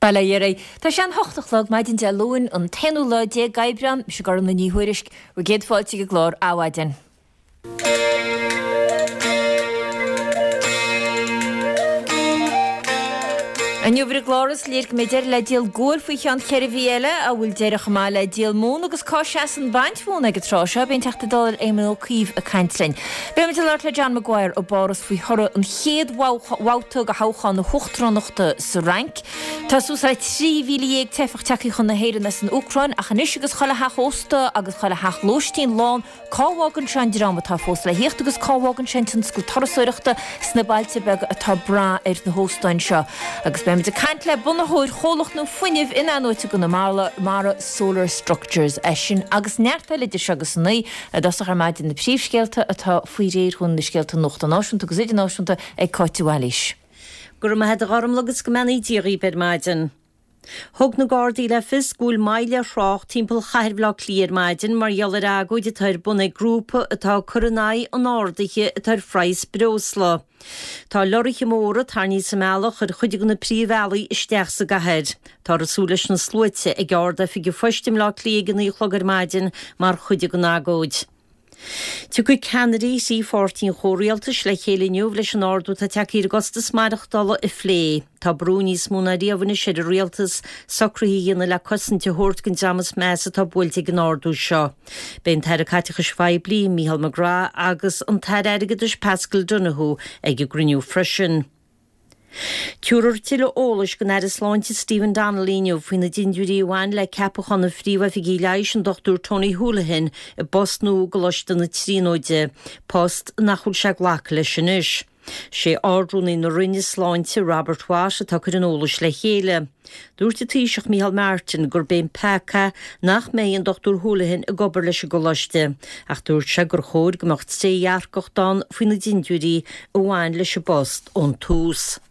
Bail ó Dhia oraibh. Tá sé an hocht a chlog maidin Dé Luain, an t-aonú lá déag d'Aibreán. Mise Gormlaith Ní Thuairisg. Bhur gcéad fáilte ag an gclár Adhmhaidin. Inniu ar an gclár is léir go mbeidh deireadh le díol guail faoi cheann cheithre mhí eile. An bhfuil deireadh chomh maith le díol móna agus cá seasann baint mhóna ag an tráth seo? Beidh an Teachta Dála Éamon Ó Cuív ag caint linn. Beimid ag labhairt le John Maguire i bPáras faoi thoradh an chéad bhabhta de thoghchán na huachtaránachta sa Fhrainc. Tá suas le 13,000 teifeach tagtha chun na hÉireann as an Úcráin ach anois agus chuile theach ósta agus chuile theach lóistín lán, cá bhfágann sé an dream atá fós le thíocht agus cá bhfágann sé an tionscal turasóireachta sna bailte beaga atá ag brath ar na hóstáin seo? Agus beimid ag caint le bunaitheoir chomhlacht nua fuinnimh in-athnuaite i gConamara, Solar Structures. É sin agus neart eile idir seo agus a naoi i dtosach ar maidin na príomhscéalta atá faoi réir dhúinn, na scéalta nuachta náisiúnta agus idirnáisiúnta ag Cáit de Bhailís. Go raibh maith a't a Ghormlaith agus go mbeannaí Dia dhaoib ar maidin. Thug na Gardaí le fios go bhfuil moill ar thrácht timpeall chathair Bhaile Átha Cliath ar maidin mar gheall ar agóid atá ar bun ag grúpa atá ag cur in aghaidh an ardaithe atá ar phraghas breosla. Tá lorraithe móra tarraingthe sa mbealach ar chuid de na príomhbhealaí isteach sa gcathair. Táthar ag súil leis na sluaite ag Ard-Oifig an Phoist i mBleá Cliath ag a 9 a chlog ar maidin mar chuid den agóid. Tiocfaidh ceannairí thrí pháirtí an chomhrialtais le chéile inniu leis an ardú atá tagtha ar an gcostas maireachtála a phlé. Tá brú níos mó ná riamh anois ar an rialtas socruithe a dhéanamh le cosaint a thabhairt don dream is measa atá buailte ag an ardú seo. Beidh an tAire Caiteachais Phoiblí, Micheál McGrath agus an tAire Airgeadais Paschal Donohoe ag an gcruinniú freisin. Tabharfar tuilleadh eolais don Aire Sláinte Stephen Donnelly inniu faoi na dindiúirí a bhain le ceapachán an Phríomh-Oifigigh Leighis an Dr Tony Holohan i bpost nua i gColáiste na Tríonóide, post nach bhfuil sé ag glacadh leis anois. Sé Ard-Rúnaí na Roinne Sláinte Robert Watt atá ag cur an eolais le chéile. Dúirt an Taoiseach Micheál Martin gurb é an peaca nach mbeidh an Dr Holohan ag obair leis an gcoláiste ach dúirt sé gur chóir go mbeadh trédhearcacht ann faoi na dindiúirí a bhain leis an bpost ón tús.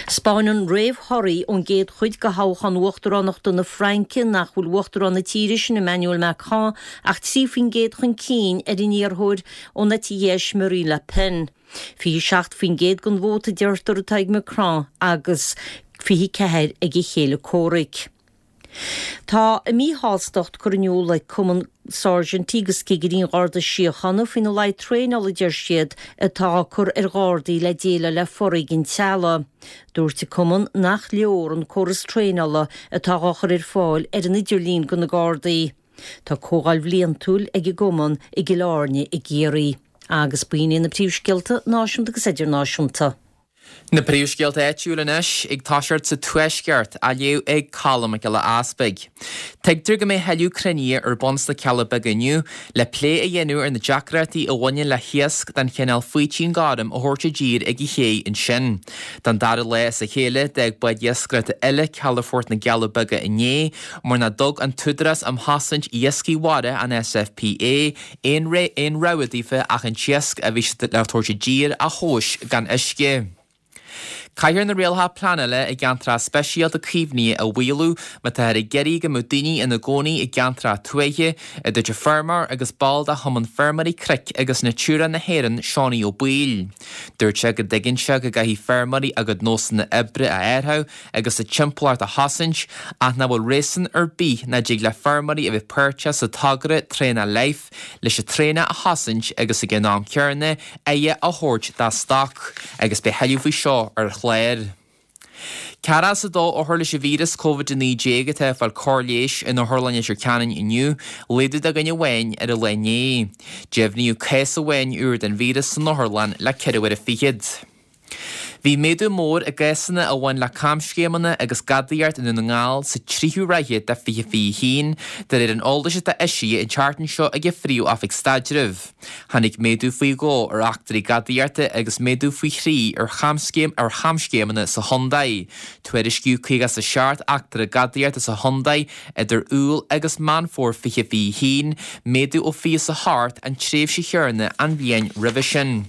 'Spáineann réamhthorthaí ón gcéad chuid de thoghchán uachtaránachta na Fraince nach bhfuil uachtarán na tíre sin, Emmanuel Macron, ach 3% chun cinn ar an iarrthóir ón eite dheis Marine Le Pen. 27% den vóta a deirtear atá ag Macron agus 24 ag a chéile comhraic. Tá a míshástacht curtha in iúl ag Cumann Sáirsintí agus Cigirí an Gharda Síochána faoina laghad traenála a deir siad atá á cur ar Ghardaí le déileáil le foréigean teaghlaigh. Dúirt an Cumann nach leor an córas traenála atá á chur ar fáil ar an idirlíon do na Gardaí. Tá comhdháil bhliantúil ag an gcumann i gCill Airne i gCiarraí. Agus b'in iad na príomhscéalta náisiúnta agus idirnáisiúnta. Na príomhscéalta áitiúil anois, ag toiseacht sa Tuaisceart, á léamh ag Colm Mac Giolla Easpaig. Tuigtear go mbeidh tuilleadh cruinnithe ar bun sna Cealla Beaga inniu le plé a dhéanamh ar na deacrachtaí a bhaineann le hiasc den chineál faoitín gorm a thabhairt i dtír ag an ché ansin. Don dara lá as a chéile, d'fhág bád iascaireachta eile calafort na gCealla Beaga inné mar nach dtug an tÚdarás um Chosaint Iascaigh Mhara, an SFPA, aon aon rogha daofa ach an t-iasc a bhí siad le tabhairt i dtír a thomhas gan uisce. Caithfear na rialacha pleanála i gceantracha speisialta caomhnaithe a mhaolú má táthar ag iarraidh go mbeadh daoine ina gcónaí i gceantracha tuaithe, a dúirt an feirmeoir agus ball de Chumann Feirmeoirí Cnoic agus Natura na hÉireann, Seánie Ó Baoill. Dúirt sé go dtuigeann sé go gcaithfidh feirmeoirí a gcuid nósanna oibre a athrú agus a dtimpeallacht a chosaint ach nach bhfuil réasún ar bith nach dtig le feirmeoirí a bheith páirteach sa togra Traonach Life leis an traonach a chosaint agus ag an am céanna aire a thabhairt dá stoc agus beidh tuilleadh faoi seo ar an chlár. Ceathracha is a dó othar leis an víreas Covid-19 atá ag fáil cóir leighis in Otharlann Leitir Ceanainn inniu, laghdú de dhuine amháin ar an lá inné. Deimhníodh cás amháin úr den víreas san otharlann le ceithre huaire fichead. Bhí méadú mór i gcásanna a bhain le camscéimeanna agus gadaíocht i nDún na nGall sa tríú ráithe de 2021, de réir an eolais atá eisithe an tseachtain seo ag an Phríomh-Oifig Staidrimh. Tháinig méadú faoi dhó ar eachtraí gadaíochta agus méadú faoi thrí ar chamscéim ar chamscéimeanna sa chontae. Tuairiscíodh 57 eachtra gadaíochta sa chontae idir Iúil agus Meán Fómhair 2021, méadú ó 28 an tréimhse chéanna an bhliain roimhe sin.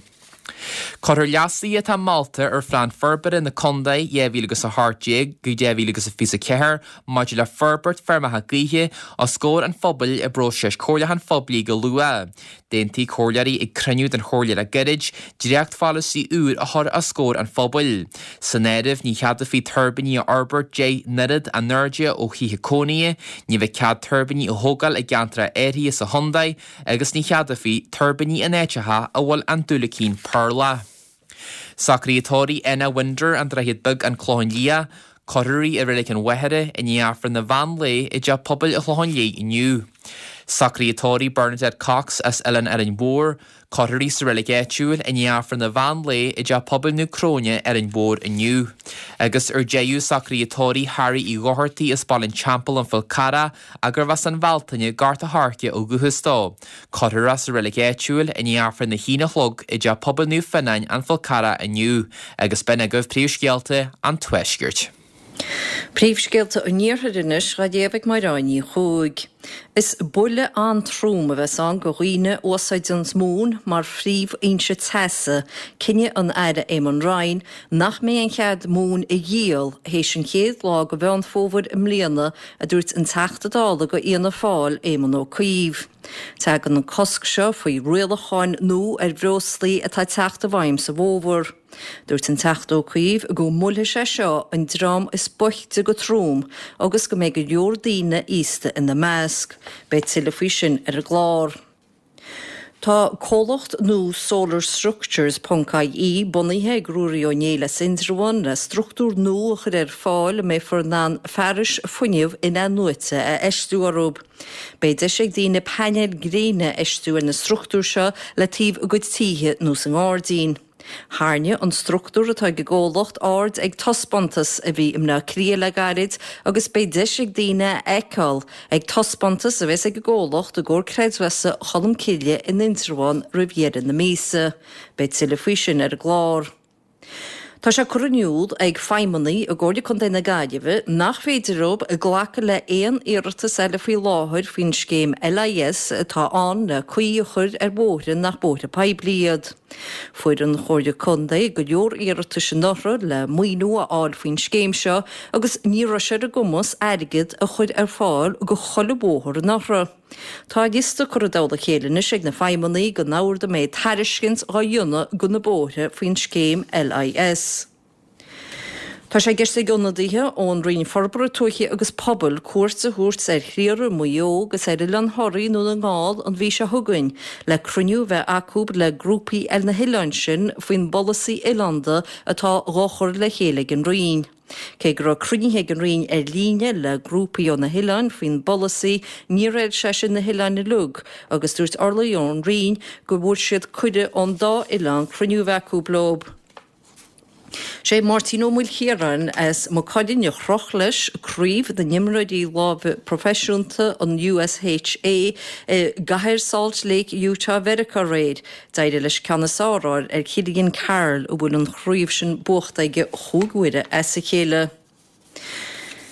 Cuirfear leasuithe atá molta ar Phlean Forbartha na Contae 2018-2024 maidir le forbairt feirmeacha gaoithe os comhair an phobail i bpróiseas comhairliúcháin phoiblí go luath. D'aontaigh comhairleoirí ag cruinniú den chomhairle le gairid, dréachtpholasaí úr a chur os comhair an phobail. San áireamh, ní cheadófaí tuirbíní a fhorbairt 10 n-oiread a n-airde ó thithe cónaithe, ní bheidh cead tuirbíní a thógáil i gceantracha áirithe sa chontae agus ní cheadófaí tuirbíní in áiteacha a bhfuil an diúilicín purlach. Socruithe tórraimh Anna Winder, An Droichead Beag, An Clochán Liath, Cuirfear í i Reilig an Mhachaire i ndiaidh Aifreann an mheán lae i dTeach Pobail an Chlocháin Léith inniu. Socruithe tórraimh Bernadette Cox as Oileán Árainn Mhór, Cuirfear í sa reilig áitiúil i ndiaidh Aifreann an mheán lae i dTeach Pobail Naomh Cróine, Árainn Mhór inniu. Agus ar deireadh, socruithe tórraimh Harry Uí Dhochartaigh as Baile an Teampaill, An Fál Carrach, gurbh as an Bhealtaine, Gort a' Choirce ó dhúchas dó. Cuirfear é sa reilig áitiúil i ndiaidh Aifreann a haon a chlog i dTeach Pobail Naomh Fionnáin, An Fál Carrach inniu. Agus b'in agaibh príomhscéalta an Tuaiscirt. Príomhscéalta an Iarthair anois dhá léamh ag Máire Ní Chuaig. Is buille an-trom a bheas ann go dhaoine a úsáideanns móin mar phríomhfhoinse teasa, cinneadh an Aire Eamon Ryan nach mbeidh aon chead móin a dhíol théis an chéad lá go Mheán Fómhair i mbliana, a dúirt an Teachta Dála go Fhianna Fáil, Éamon Ó Cuív. Tagann an cosc seo faoi rialacháin nua ar bhreoslaí atá ag teacht i bhfeidhm sa bhfómhar. Dúirt an Teachta Ó Cuív go mbuailfidh sé seo an dream is boichte go trom agus go mbeidh go leor daoine aosta ina measc. Beidh tuilleadh faoi sin ar an gclár. Tá comhlacht nua Solar Structures ponc IE bunaithe ag Ruairí Ó Néill as Indreabhán le struchtúr nua a chur ar fáil a mbeifear in ann fearais fuinnimh in-athnuaite a fheistiú orthu. Beidh deis ag daoine painéil gréine a fheistiú ar na struchtúir seo le taobh a gcuid títhe nó sa ngairdín. Tharraing an struchtúr atá ag an gcomhlacht aird ag taispeántas a bhí i mBleá Cliath le gairid agus beidh deis ag daoine é a fheiceáil ag taispeántas a bheas ag an gcomhlacht i gComhar Creidmheasa Cholmcille in Indreabhán roimh dheireadh na míosa. Beidh tuilleadh faoi sin ar an gclár. Tá sé curtha in iúl ag feidhmeannaigh i gComhairle Contae na Gaillimhe nach féidir leo glacadh le haon iarratas eile faoi láthair faoin scéim LIS atá ann le caoi a chur ar bhóithre nach bóithre poiblí iad. Fuair an Chomhairle Contae go leor iarratais anuraidh le maoiniú a fháil faoin scéim seo agus ní raibh sé ar a gcumas airgead a chur ar fáil go chuile bhóthar anuraidh. Tá liosta curtha i dtoll a chéile anois ag na feidhmeannaigh den ord a mbeidh tairiscint dhá dhéanamh go na bóithre faoin scéim LIS. Tá sé i gceist ag ionadaithe ón Roinn Forbartha Tuaithe agus Pobail cuairt a thabhairt ar Thriara i Maigh Eo agus ar Oileán Thoraí i nDún na nGall an mhí seo chugainn le cruinniú a bheith acu le grúpaí ar na hoileáin sin faoin bpolasaí oileánda atá dhá chur le chéile ag an Roinn. Cé go raibh cruinnithe ag an Roinn ar líne le grúpaí ó na hoileáin faoin bpolasaí, níor fheil sé sin na hoileáin uilig agus dúirt urlabhraí ón Roinn go bhfuair siad cuireadh ón dá oileán cruinniú a bheith acu leo. Sé Máirtín Ó Maoilchiaráin as Maigh Cuilinn a chroch leis craobh na n-imreoirí láimhe proifisiúnta an USHA i gcathair Salt Lake, Utah Mheiriceá aréir. D'éirigh leis ceann is fearr a fháil ar Chillian Carroll a bhfuil an chraobh sin buachta aige chúig huaire as a chéile.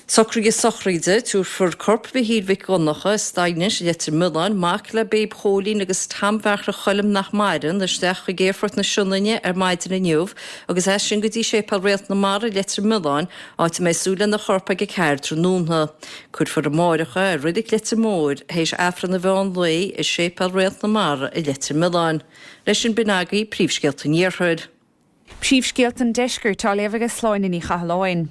Socruithe sochraide, Tabharfar corp Mhichíl Mhic Dhonncha as Daighinis i Leitir Mealláin, mac le Babe Chóilín agus Tom Bheartla Choilm nach maireann, isteach chuig Aerfort na Sionainne ar maidin inniu agus as sin go dtí Séipéal Réalt na Mara i Leitir Mealláin, áit a mbeidh súil lena chorp ag 4 tráthnóna. Cuirfear amáireach é i Reilig Leitir Móir théis Aifreann an mheán lae i Séipéal Réalt na Mara i Leitir Mealláin. Leis sin b'in agaibh príomhscéalta an Iarthair. Príomhscéalta an Deiscirt á léamh ag Sláine Ní Chathalláin.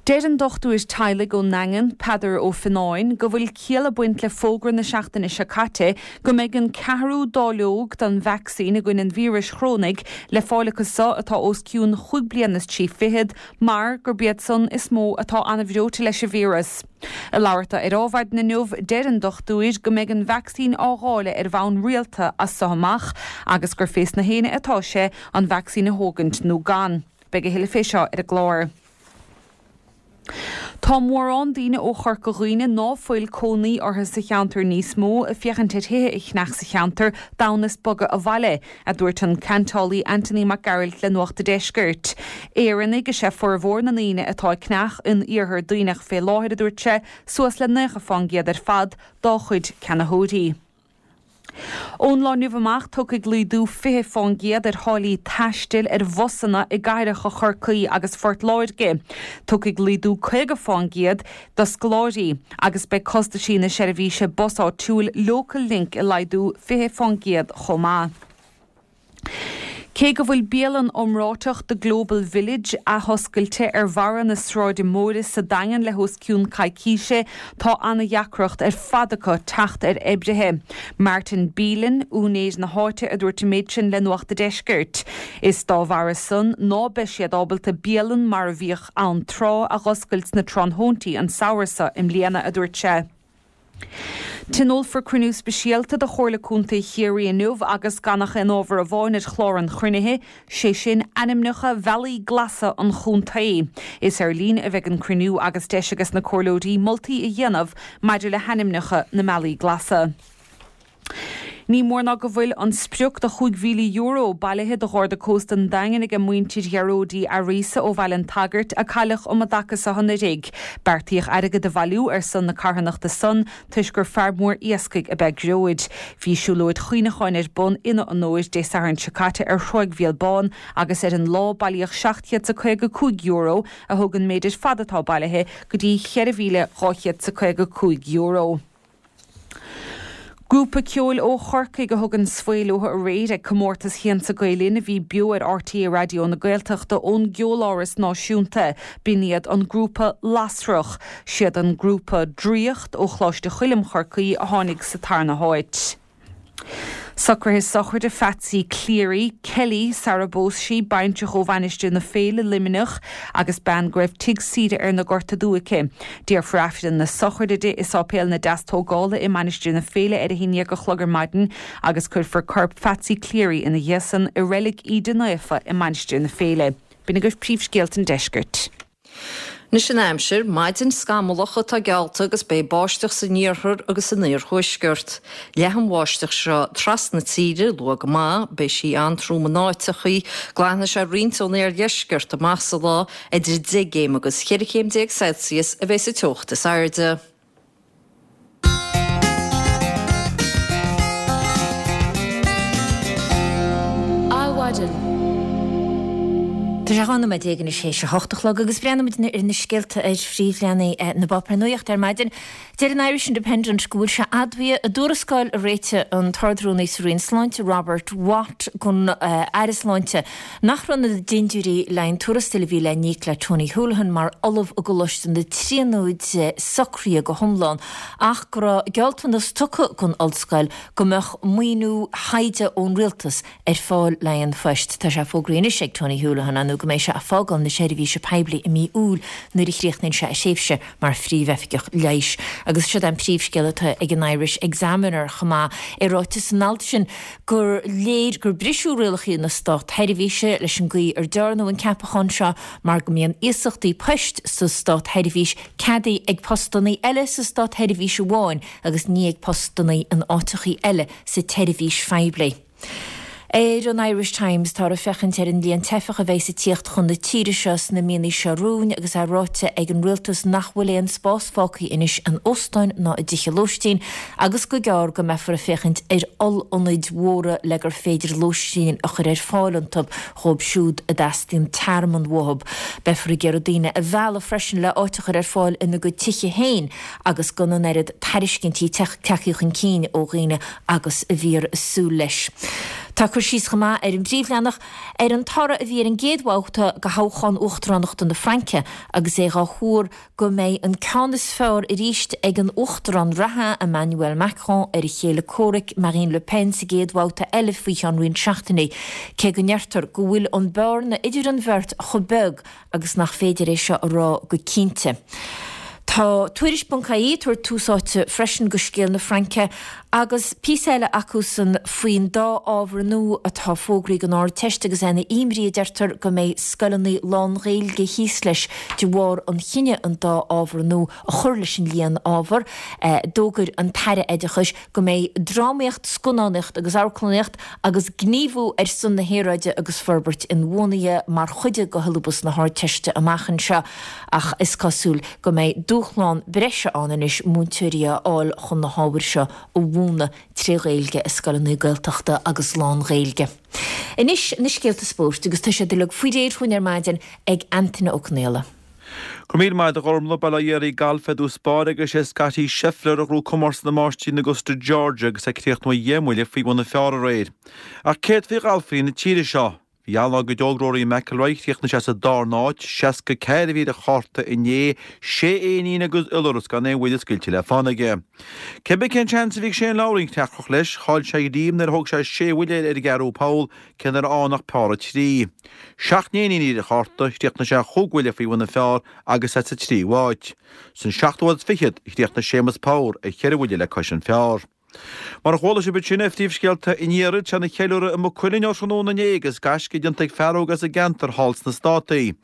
Deir an dochtúir teaghlaigh ón nDaingean, Peadar Ó Fionnáin, go bhfuil ciall ag baint le fógra na seachtaine seo caite go mbeidh an ceathrú dáileog den vacsaín i gcoinne an víris chorónaigh le fáil acu so atá os cionn chúig bliana is trí fichead mar gurb iad san is mó atá an-bhreoite leis an víreas. Ag labhairt dó ar Adhmhaidin inniu, deir an dochtúir go mbeidh an vacsaín á dháileadh ar bhonn rialta as so amach agus gur fés na héinne atá sé an vacsaín a thógaint nó gan. Beidh a thuilleadh fé seo ar an gclár. Tá mórán daoine ó Chorca Dhuibhne ná fuil cónaí orthu sa cheantar níos mó ag féachaint ar thithe a cheannach sa cheantar d'fhonn is bogadh abhaile, a dúirt an ceantálaí Anthony Mac Gearailt le Nuacht a' Deiscirt. Éireannaigh is ea formhór na ndaoine atá ag ceannach in iarthar Duibhneach fé láthair, a dúirt sé, suas le 90 fán gcéad ar fad dá chuid ceannaitheoirí. Ón lá inniu amach, tiocfaidh laghdú 20% ar tháillí taistil ar bhusanna i gcathracha Chorcaí agus Phort Láirge. Tiocfaidh laghdú 50% do scoláirí agus beidh costaisí na seirbhíse bus áitiúil Local Link ag laghdú 20% chomh maith. Cé go bhfuil bialann iomráiteach The Global Village athoscailte ar bharra na Sráide Móire sa Daingean le hos cionn coicíse, tá ana-dheacracht ar fad acu teacht ar oibrithe. Martin Bealin, úinéir na háite a dúirt an méid sin le Nuacht a' Deiscirt. Is dá bharra san ná beidh siad ábalta bialann mar a bhíodh ann tráth a dh'oscailt sna tráthnóintí an samhradh seo i mbliana, a dúirt sé. Tionólfar cruinniú speisialta de Chomhairle Contae Chiarraí inniu agus gan ach aon ábhar amháin ar chlár an chruinnithe, sé sin ainmneacha bhealaí glasa an chontae. Is ar líne a bheidh an cruinniú agus deis ages na comhairleoirí moltaí a dhéanamh maidir le hainmneacha na mbealaí glasa. Ní mór ná go bhfuil an sprioc de €5,000 bailithe do Gharda Cósta an Daingin aige muintir Ghearóid Uí Fhearghusa ó Bhaile an tSagairt a cailleadh um an dtaca seo anuraidh. Beartaíodh airgead a bhailiú ar son na carthanachta san toisc gur fear mór iascaigh ab ea Gearóid. Bhí siúlóid chuimhneacháin ar bun ina onóir Dé Sathairn seo caite ar Thráigh Mhíol Bán agus ar an lá bailíodh €755 a thug an méid ar fad atá bailithe go dtí €4,255. Grúpa ceoil ó Chorcaigh a thug an svae leo aréir ag comórtas Shiansa Gael Linn a bhí beo ar RTÉ Raidió na Gaeltachta ón gCeoláras Náisiúnta. B'in iad an grúpa Lasrach. Siad an grúpa Draíocht ó Choláiste Choilm Chorcaí a tháinig sa tarna háit. Socruithe sochraide Phatsy Cleary, Kelly, sara bpós sí, baintreach ó Mhainistir na Féile, Luimneach, agus bean go raibh tigh saoire ar na Gorta Dubha aici. Déarfar Aifreann na sochraide di i Sáipéal na Deastógála i Mainistir na Féile ar a haon dhéag a chlog ar maidin agus cuirfear corp Phatsy Cleary ina dhiaidh san i Reilig Íde Naofa i Mainistir na Féile. B'in agaibh príomhscéalta an deiscirt. Anois an aimsir, maidin scamallach atá geallta agus beidh báisteach san iarthar agus san iarthuaisceart. Leathfaidh an bháisteach seo trasna na tíre luath go maith, beidh sí an-trom in áiteachaí, glanfaidh sé roinnt ón iardheisceart amach sa lá, idir 10 gcéim agus 14 chéim Celsius a bheidh sa teocht is airde. Adhmhaidin. Tá sé 12 nóiméad anois théis a hocht a chlog agus breathnaímid ar na scéalta ar phríomhleathanaigh na bpáipéar nuachta ar maidin. Deir an Irish Independent go bhfuil sé admhaithe i dtuarascáil a réitigh an tArd-Rúnaí sa Roinn Sláinte Robert Watt don Aire Sláinte nach raibh na dindiúirí le haghaidh an tuarastail a bhí le n-íoc le Tony Holohan mar Ollamh i gColáiste na Tríonóide socraithe go hiomlán ach go raibh gealltanas tugtha don ollscoil go mbeadh maoiniú taighde ón rialtas ar fáil le haghaidh an phoist. Tá sé fógraithe anois ag Tony Holohan nó go mbeidh sé ag fágáil na seirbhíse poiblí i mí Iúil nuair a chríochnaíonn sé a thréimhse mar phríomhoifigeach leighis. Agus siod é an príomhscéal atá ag an Irish Examiner chomh maith. É ráite san alt sin gur léir gur briseadh rialacha na státsheirbhíse leis an gcaoi ar dearnadh an ceapachán seo mar go mbíonn iasachtaí poist sa státsheirbhís ceadaithe ag postannaí eile sa státsheirbhís amháin agus ní ag postannaí in áiteachaí eile sa tseirbhís phoiblí. Ar an Irish Times, táthar ag féachaint ar an líon teifeach a bheidhs ag tíocht chun na tíre seo sna míonna seo romhainn agus é ráite ag an rialtas nach bhfuil aon spás fágtha anois in óstáin ná i dtithe lóistín agus go gearr go mbeifear ag féachaint ar oll-ionaid mhóra le gur féidir lóistín a chur ar fáil iontu dhóibh siúd a dteastaíonn tearmann uathu. Beifear ag iarraidh daoine a mhealladh freisin le áit a chur ar fáil ina gcuid tithe féin agus gan an oiread tairiscintí tagtha chun cinn ó dhaoine agus a bhíothar ag súil leis. Tá cur síos chomh maith ar an bpríomhleathanach ar an toradh a bhí ar an gcéad bhabhta de thoghchán uachtaránachta na Fraince agus é dhá thuar go mbeidh an ceann is fearr arís ag an uachtarán reatha Emmanuel Macron ar a chéile comhraic Marine Le Pen sa gcéad bhabhta eile faoi cheann roinnt seachtainí, cé go ndeirtear go bhfuil an bearna idir an bheirt chomh beag agus nach féidir é seo a rá go cinnte. Tá Tuairisc ponc ie ag tabhairt tús áite freisin go scéal na Fraince agus píosa eile acusan faoin dá ábhar nua atá fógraithe don Ardteist agus é ina imní a deirtear go mbeidh scoileanna lán-Ghaeilge thíos leis de bharr an chinnidh an dá ábhar nua a chur leis an líon ábhar. D'fhógair an tAire Oideachais go mbeidh drámaíocht, scannánaíocht agus amharclannaíocht agus gníomhú ar son na haeráide agus forbairt inbhuanaithe mar chuid de shiollabas na hArdteiste amach anseo ach is cosúil go mbeidh dúshlán. dúshlán breise ann anois múinteoirí a fháil chun na hábhair seo a mhúineadh tré Ghaeilge i scoileanna Gaeltachta agus lán-Ghaeilge. Anois na scéalta spóirt agus tá siad uilig faoi réir chugainn ar maidin ag Antaine Ó Conaola. Go raibh míle maith agat a Ghormlaith, Bail ó Dhia ar an galf i dtús báire agus sé Scottie Scheffler a ghnóthaigh comórtas na Máistrí in Augusta Georgia agus é ag críochnú dheich mbuille faoi bhun an phar aréir. Ach céard faoi ghalfairí na tíre seo? Bhí an-lá ag an óg Rory McIlroy, chríochnaigh sé sa darna háit, 64 a bhí ar a chárta inné, sé éinín agus iolras gan aon bhuille scaoilte le fána aige. Cé bith cén seans a bhí ag Shane Lowry an chreatlach leis, chaill sé a ghreim nuair a thóg sé sé bhuille ar an gceathrú poll, cé nach raibh ann ach pár 3. Seacht n-éinín a bhí ar a chárta, chríochnaigh sé chúig bhuille faoi bhun an phar agus é sa tríú háit. San seachtú háit is fichead a chríochnaigh Séamus Power ar cheithre bhuille le cois an phar. Mar a chuala sibh ansin ar phríomhscéalta an iarthair, tá ana cheiliúradh i Maigh Cuilinn ó thráthnóna inné agus gaisce déanta ag fear óg as an gceantar thall sna Státaí.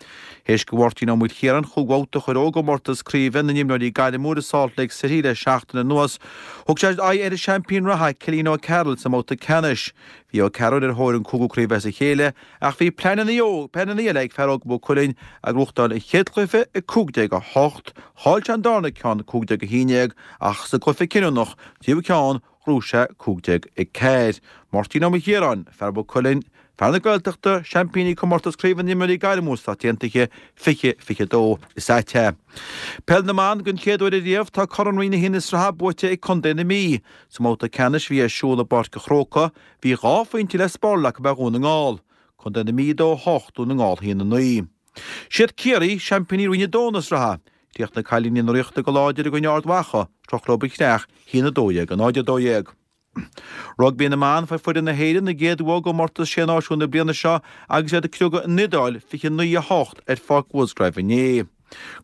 Théis do Mháirtín Ó Maoilchiaráin chúig bhabhta a chur ó i gcomórtas craoibhe na n-imreoirí gairmiúil i Salt Lake City le seachtain anuas, thug sé aghaidh ar an seaimpín reatha, Cillian O'Carroll, sa mbabhta ceannais. Bhí O'Carroll ar thóir an cúigiú craobh as a chéile ach bhí pleananna eile ag fear óg Mhaigh Cuilinn ag gnóthachtáil an chéad chluiche 15-8, chaill sé an darna ceann 15-11 ach sa gcluiche cinniúnach, tríú ceann, ghnóthaigh sé 15-4. Máirtín Ó Maoilchiaráin, fear Mhaigh Cuilinn, fear na Gaeltachta, seaimpíní comórtas craoibhe na n-imreoirí gairmiúil sna Stáit Aontaithe 2022 is ea é. Peil na mBan, Den chéad uair ariamh, tá Corn Roinn 1 na sraithe buaite ag Contae na Mí. Sa mbabhta ceannais a bhí ar siúl i bPáirc an Chrócaigh, Bhí dhá phointe le spáráil acu ar Dhún na nGall. Contae na Mí 2, 8, Dún na nGall 1, 9. Siad Ciarraí, seaimpíní Roinn 2 na sraithe. Chríochnaigh cailíní na Ríochta go láidir i gcoinne Ard Mhacha, shroich leo an chreach, 1, 12, 0, 12. Rugbaí na mBan, Fuair foireann na hÉireann a gcéad bhua i gcomórtas Sé Náisiún na bliana seo agus iad ag criogadh an Iodáil, 29, 8 ar Pháirc Mhusgrave inné.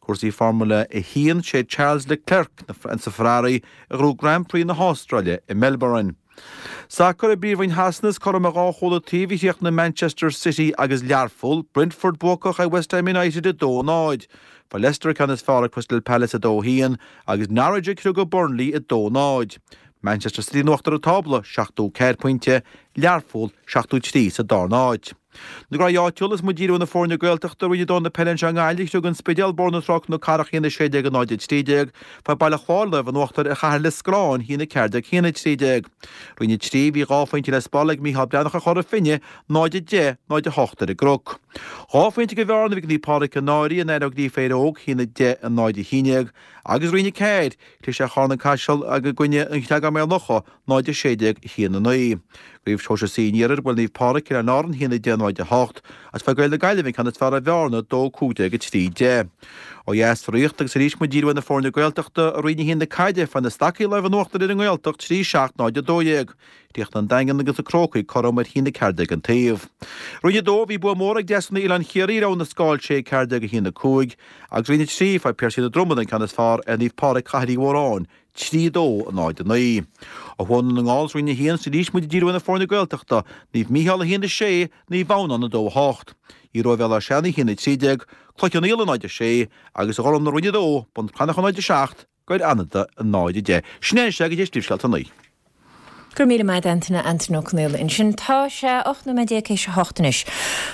Cúrsaí Formula 1, Sé Charles Leclerc sa Ferrari a ghnóthaigh Grand Prix na hAstráile i Melbourne. Sacar i bPríomhroinn Shasana is cothrom ar dhá chúl an taobh a chríochnaigh Manchester City agus Learpholl, Brentford buacach ar West Ham United 2-0. Fuair Leicester an ceann is fearr ar Crystal Palace 2-1 agus Norwich ag criogadh Burnley 2-0. Manchester City in uachtar an tábla, 74 pointe, Learpholl 73 sa darna háit. Na graí áitiúla is muid ag díriú ar na foirne Gaeltachta, Roinn 2 na peile anseo i nGaillimh, chriog An Spidéal Bóthar na Trá Cnoc Carrach 1 16 0 13, fuair Baile Chláir lámh in uachtar ar Chathair Liscráin 1 14 1 13. Roinn 3, bhí dhá phointe le spáráil ag Mícheál Breathnach ar Chora Finne, 0 10 0 8 ar an gCnoc. Dhá phointe de bhearna a bhí ag Naomh Pádraig Cill Náire in aghaidh Ó Gríofa Éire Óg 1 10 0 11 agus Roinn 4, Chlis ar Charna Caiseal i gcoinne an Chreagáin Maigh Locha, 0 16 1 9. I gCraobh Shóisir C an Iarthair, bhuail Naomh Pádraig, Oileáin Árann, 1 10 0 8, agus fuair Gaeil na Gaillimhe an ceann is fearr ar Bhearna, 2 15 3 10. Ó dheas sa Ríocht agus arís muid ag díriú ar na foirne Gaeltachta, i Roinn 1 na caide, fuair na Stacaigh lámh in uachtar ar an nGaeltacht, 3 7 0 12. Chríochnaigh an Daingean agus na Crócaigh cothrom ar 1 14 an taobh. Roinn 2, bhí bua mór ag Deasúnaí Oileán Chiarraí ar Abha na Scáil 6 14 1 5, agus Roinn 3, fuair Piarsaigh na Dromad an ceann is fearr ar Naomh Pádraig Cathair Uí Mhóráin, 3 2 0 9. Ó thuaidh i nDún na nGall sa Roinn 1 is arís muid ag díriú ar na foirne Gaeltachta, Naomh Mícheál 1 6, Naomh Adhamhnáin 2 8. Iathbhua Bhéal Átha Seanaidh 1 13, Cloich Cheann Fhaola 0 6, agus a Ghormlaith Roinn 2, Bun Cranncha 0 7, Gaeil Fhánada 0 10. Sin é anois é go dtí Príomhscéalta 9. Go raibh míle maith agat Antaine, Antaine Ó Conaola ansin. Tá sé 18 nóiméad théis a hocht anois.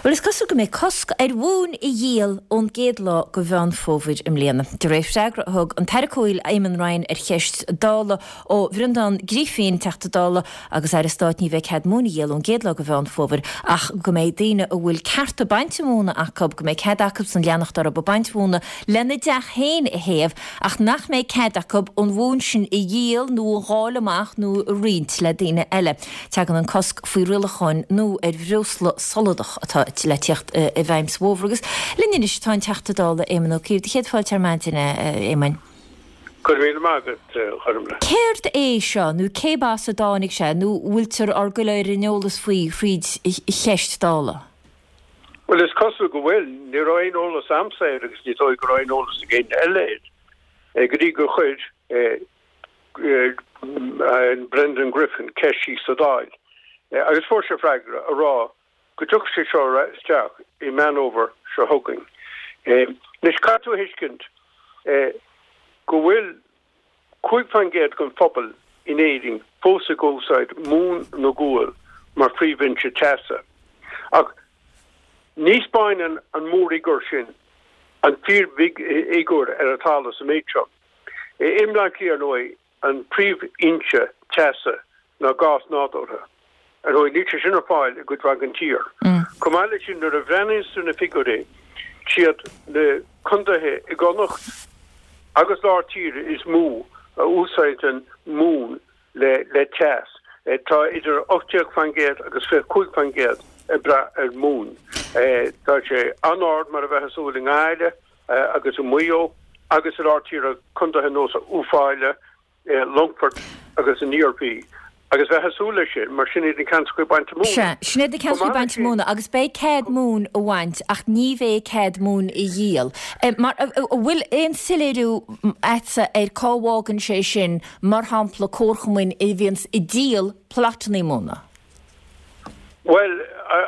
Bhuel is cosúil go mbeidh cosc ar mhóin a dhíol ón gcéad lá de Mheán Fómhair i mbliana. De réir freagra a thug an tAire Comhshaoil Eamon Ryan ar cheist Dála ó Bhreandán Griffin, Teachta Dála agus Aire Stáit ní bheidh cead móin a dhíol ón gcéad lá de Mheán Fómhair ach go mbeidh daoine a bhfuil cearta bainte móna acu, go mbeidh cead acusan leanacht orthu ag baint mhóna lena dteach féin a théamh ach nach mbeidh cead acu an mhóin sin a dhíol nó a dháileadh amach nó a roinnt le daoine eile. Tagann an cosc faoi rialacháin nua ar bhreosla soladach atá le tíocht i bhfeidhm sa bhfómhar. Agus linn anois tá an Teachta Dála Éamon Ó Cuív. Do chéad fáilte ar maidin, a Éamoin. Go raibh míle maith agat, a Ghormlaith. Céard é seo nó cé as a dtáinig sé nó bhfuiltear ár gcur ar an eolas faoi thríd cheist Dála? Bhuel, is cosúil go bhfuil. Ní raibh aon eolas a'msa air agus ní dóigh go raibh aon eolas ag éinne eile air go dtí gur chuir Brendan Griffin ceist síos sa Dáil agus fuair sé freagra a rá go dtiocfadh sé seo isteach i Meán Fhómhair seo chugainn. Anois, caithfidh tú a thuiscint go bhfuil 5% den phobal in Éirinn fós ag úsáid móin nó gual mar phríomhfhoinse teasa. Ach ní 'spáineann an mórfhigiúr sin. An fíorfhigiúr ar an talamh sa méid seo. I mBleá Cliath, ar ndóigh, an príomhfhoinse teasa ná gás nádúrtha. Ar ndóigh, níl sé sin ar fáil i gcuid mhaith den tír. Chomh maith leis sin, nuair a bhreathnaíonns tú ar na figiúirí, siad na contaetha i gConnacht agus lár tíre is mó a úsáideann móin le teas. Tá idir 18% agus 25% ag brath ar mhóin. Tá sé an-ard mar a bheifeá ag súil i nGaillimh agus i Maigh Eo agus i lár tíre, contaetha ar nós Uíbh Fhailí, Longfort agus an Iarmhí. Agus bheifeá ag súil leis sin, mar sin iad na ceantracha bainte móna. Sea, sin iad na ceantracha bainte móna agus beidh cead móin a bhaint ach ní bheidh cead móin a dhíol. Mar, an bhfuil aon soiléiriú a'dsa ar cá bhfágann sé sin mar shampla comharchumainn a bhíonns ag díol plotannaí móna. Bhuel,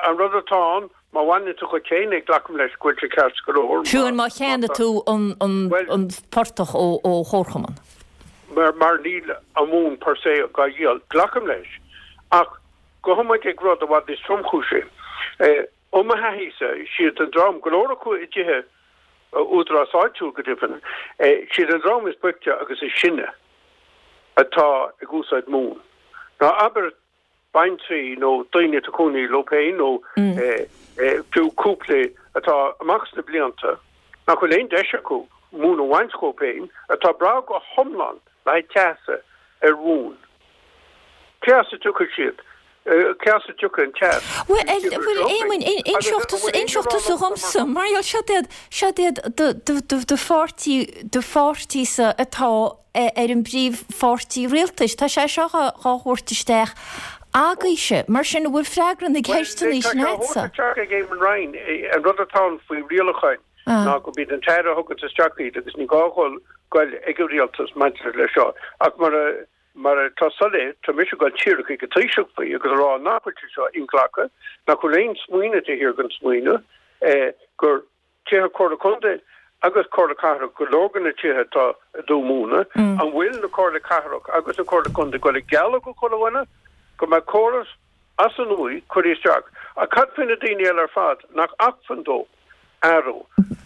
an rud atá ann, má bhaineann tú dhuit féin é, glacaim leis go bhfuil sé ceart go leor. Fiú amháin má cheannaigh tú an portach ó chomharchumann. Mar níl an mhóin per se dhá dhíol, glacaim leis. Ach gabhfaidh muid ag rud i bhfad níos tromchúisí. Ó mo thaithísa, siad an dream, go leor acu i dtithe údarás áitiúil go deimhin, siad an dream is boichte agus is sine atá ag úsáid móin. Ná abair baintrí nó daoine atá ag cónaí leo féin nó fiú cúpla atá amach sna blianta nach bhfuil aon deis acu móin a bhaint dhóibh féin, atá ag brath go hiomlán le haghaidh teasa ar mhóin. Cé as a dtiocfaidh siad? Cé as a dtiocfaidh an teas? Bhuel, bhuel, Éamoinn, inseoidh tusa, inseoidh tusa dhomsa, mar gheall, siod iad, siod iad do, do, do, do pháirtí, do pháirtí-sa atá ar an bpríomhpháirtí rialtais. Tá sé seo dhá, dhá thabhairt isteach agaibhse. Mar sin, an bhfuil freagra na Bhuel, gceisteanna tá sin sé á a'dsa? thabhairt isteach ag Eamon Ryan. An rud atá ann faoi rialacháin ná gurb iad an tAire a thuganns isteach iad agus ní gá dhul goil ag an rialtas maidir leis seo. Ach mar a Mar atá soiléir, tá mise ag dul díreach chuig an Taoiseach faoi agus a rá nach bhfuil sé seo inghlactha, nach bhfuil aon smaoineamh taobh thiar den smaoineamh, gur tithe Comhairle Contae agus Comhairle Cathrach go leor de na tithe atá ag dó móna, an bhfuil na Comhairle Cathrach agus na Comhairle Contae ag dul ag gealladh do chuile dhuine go mbeidh córas as an nua curtha isteach? Ach cad faoi na daoine eile ar fad nach acmhainn dóibh athrú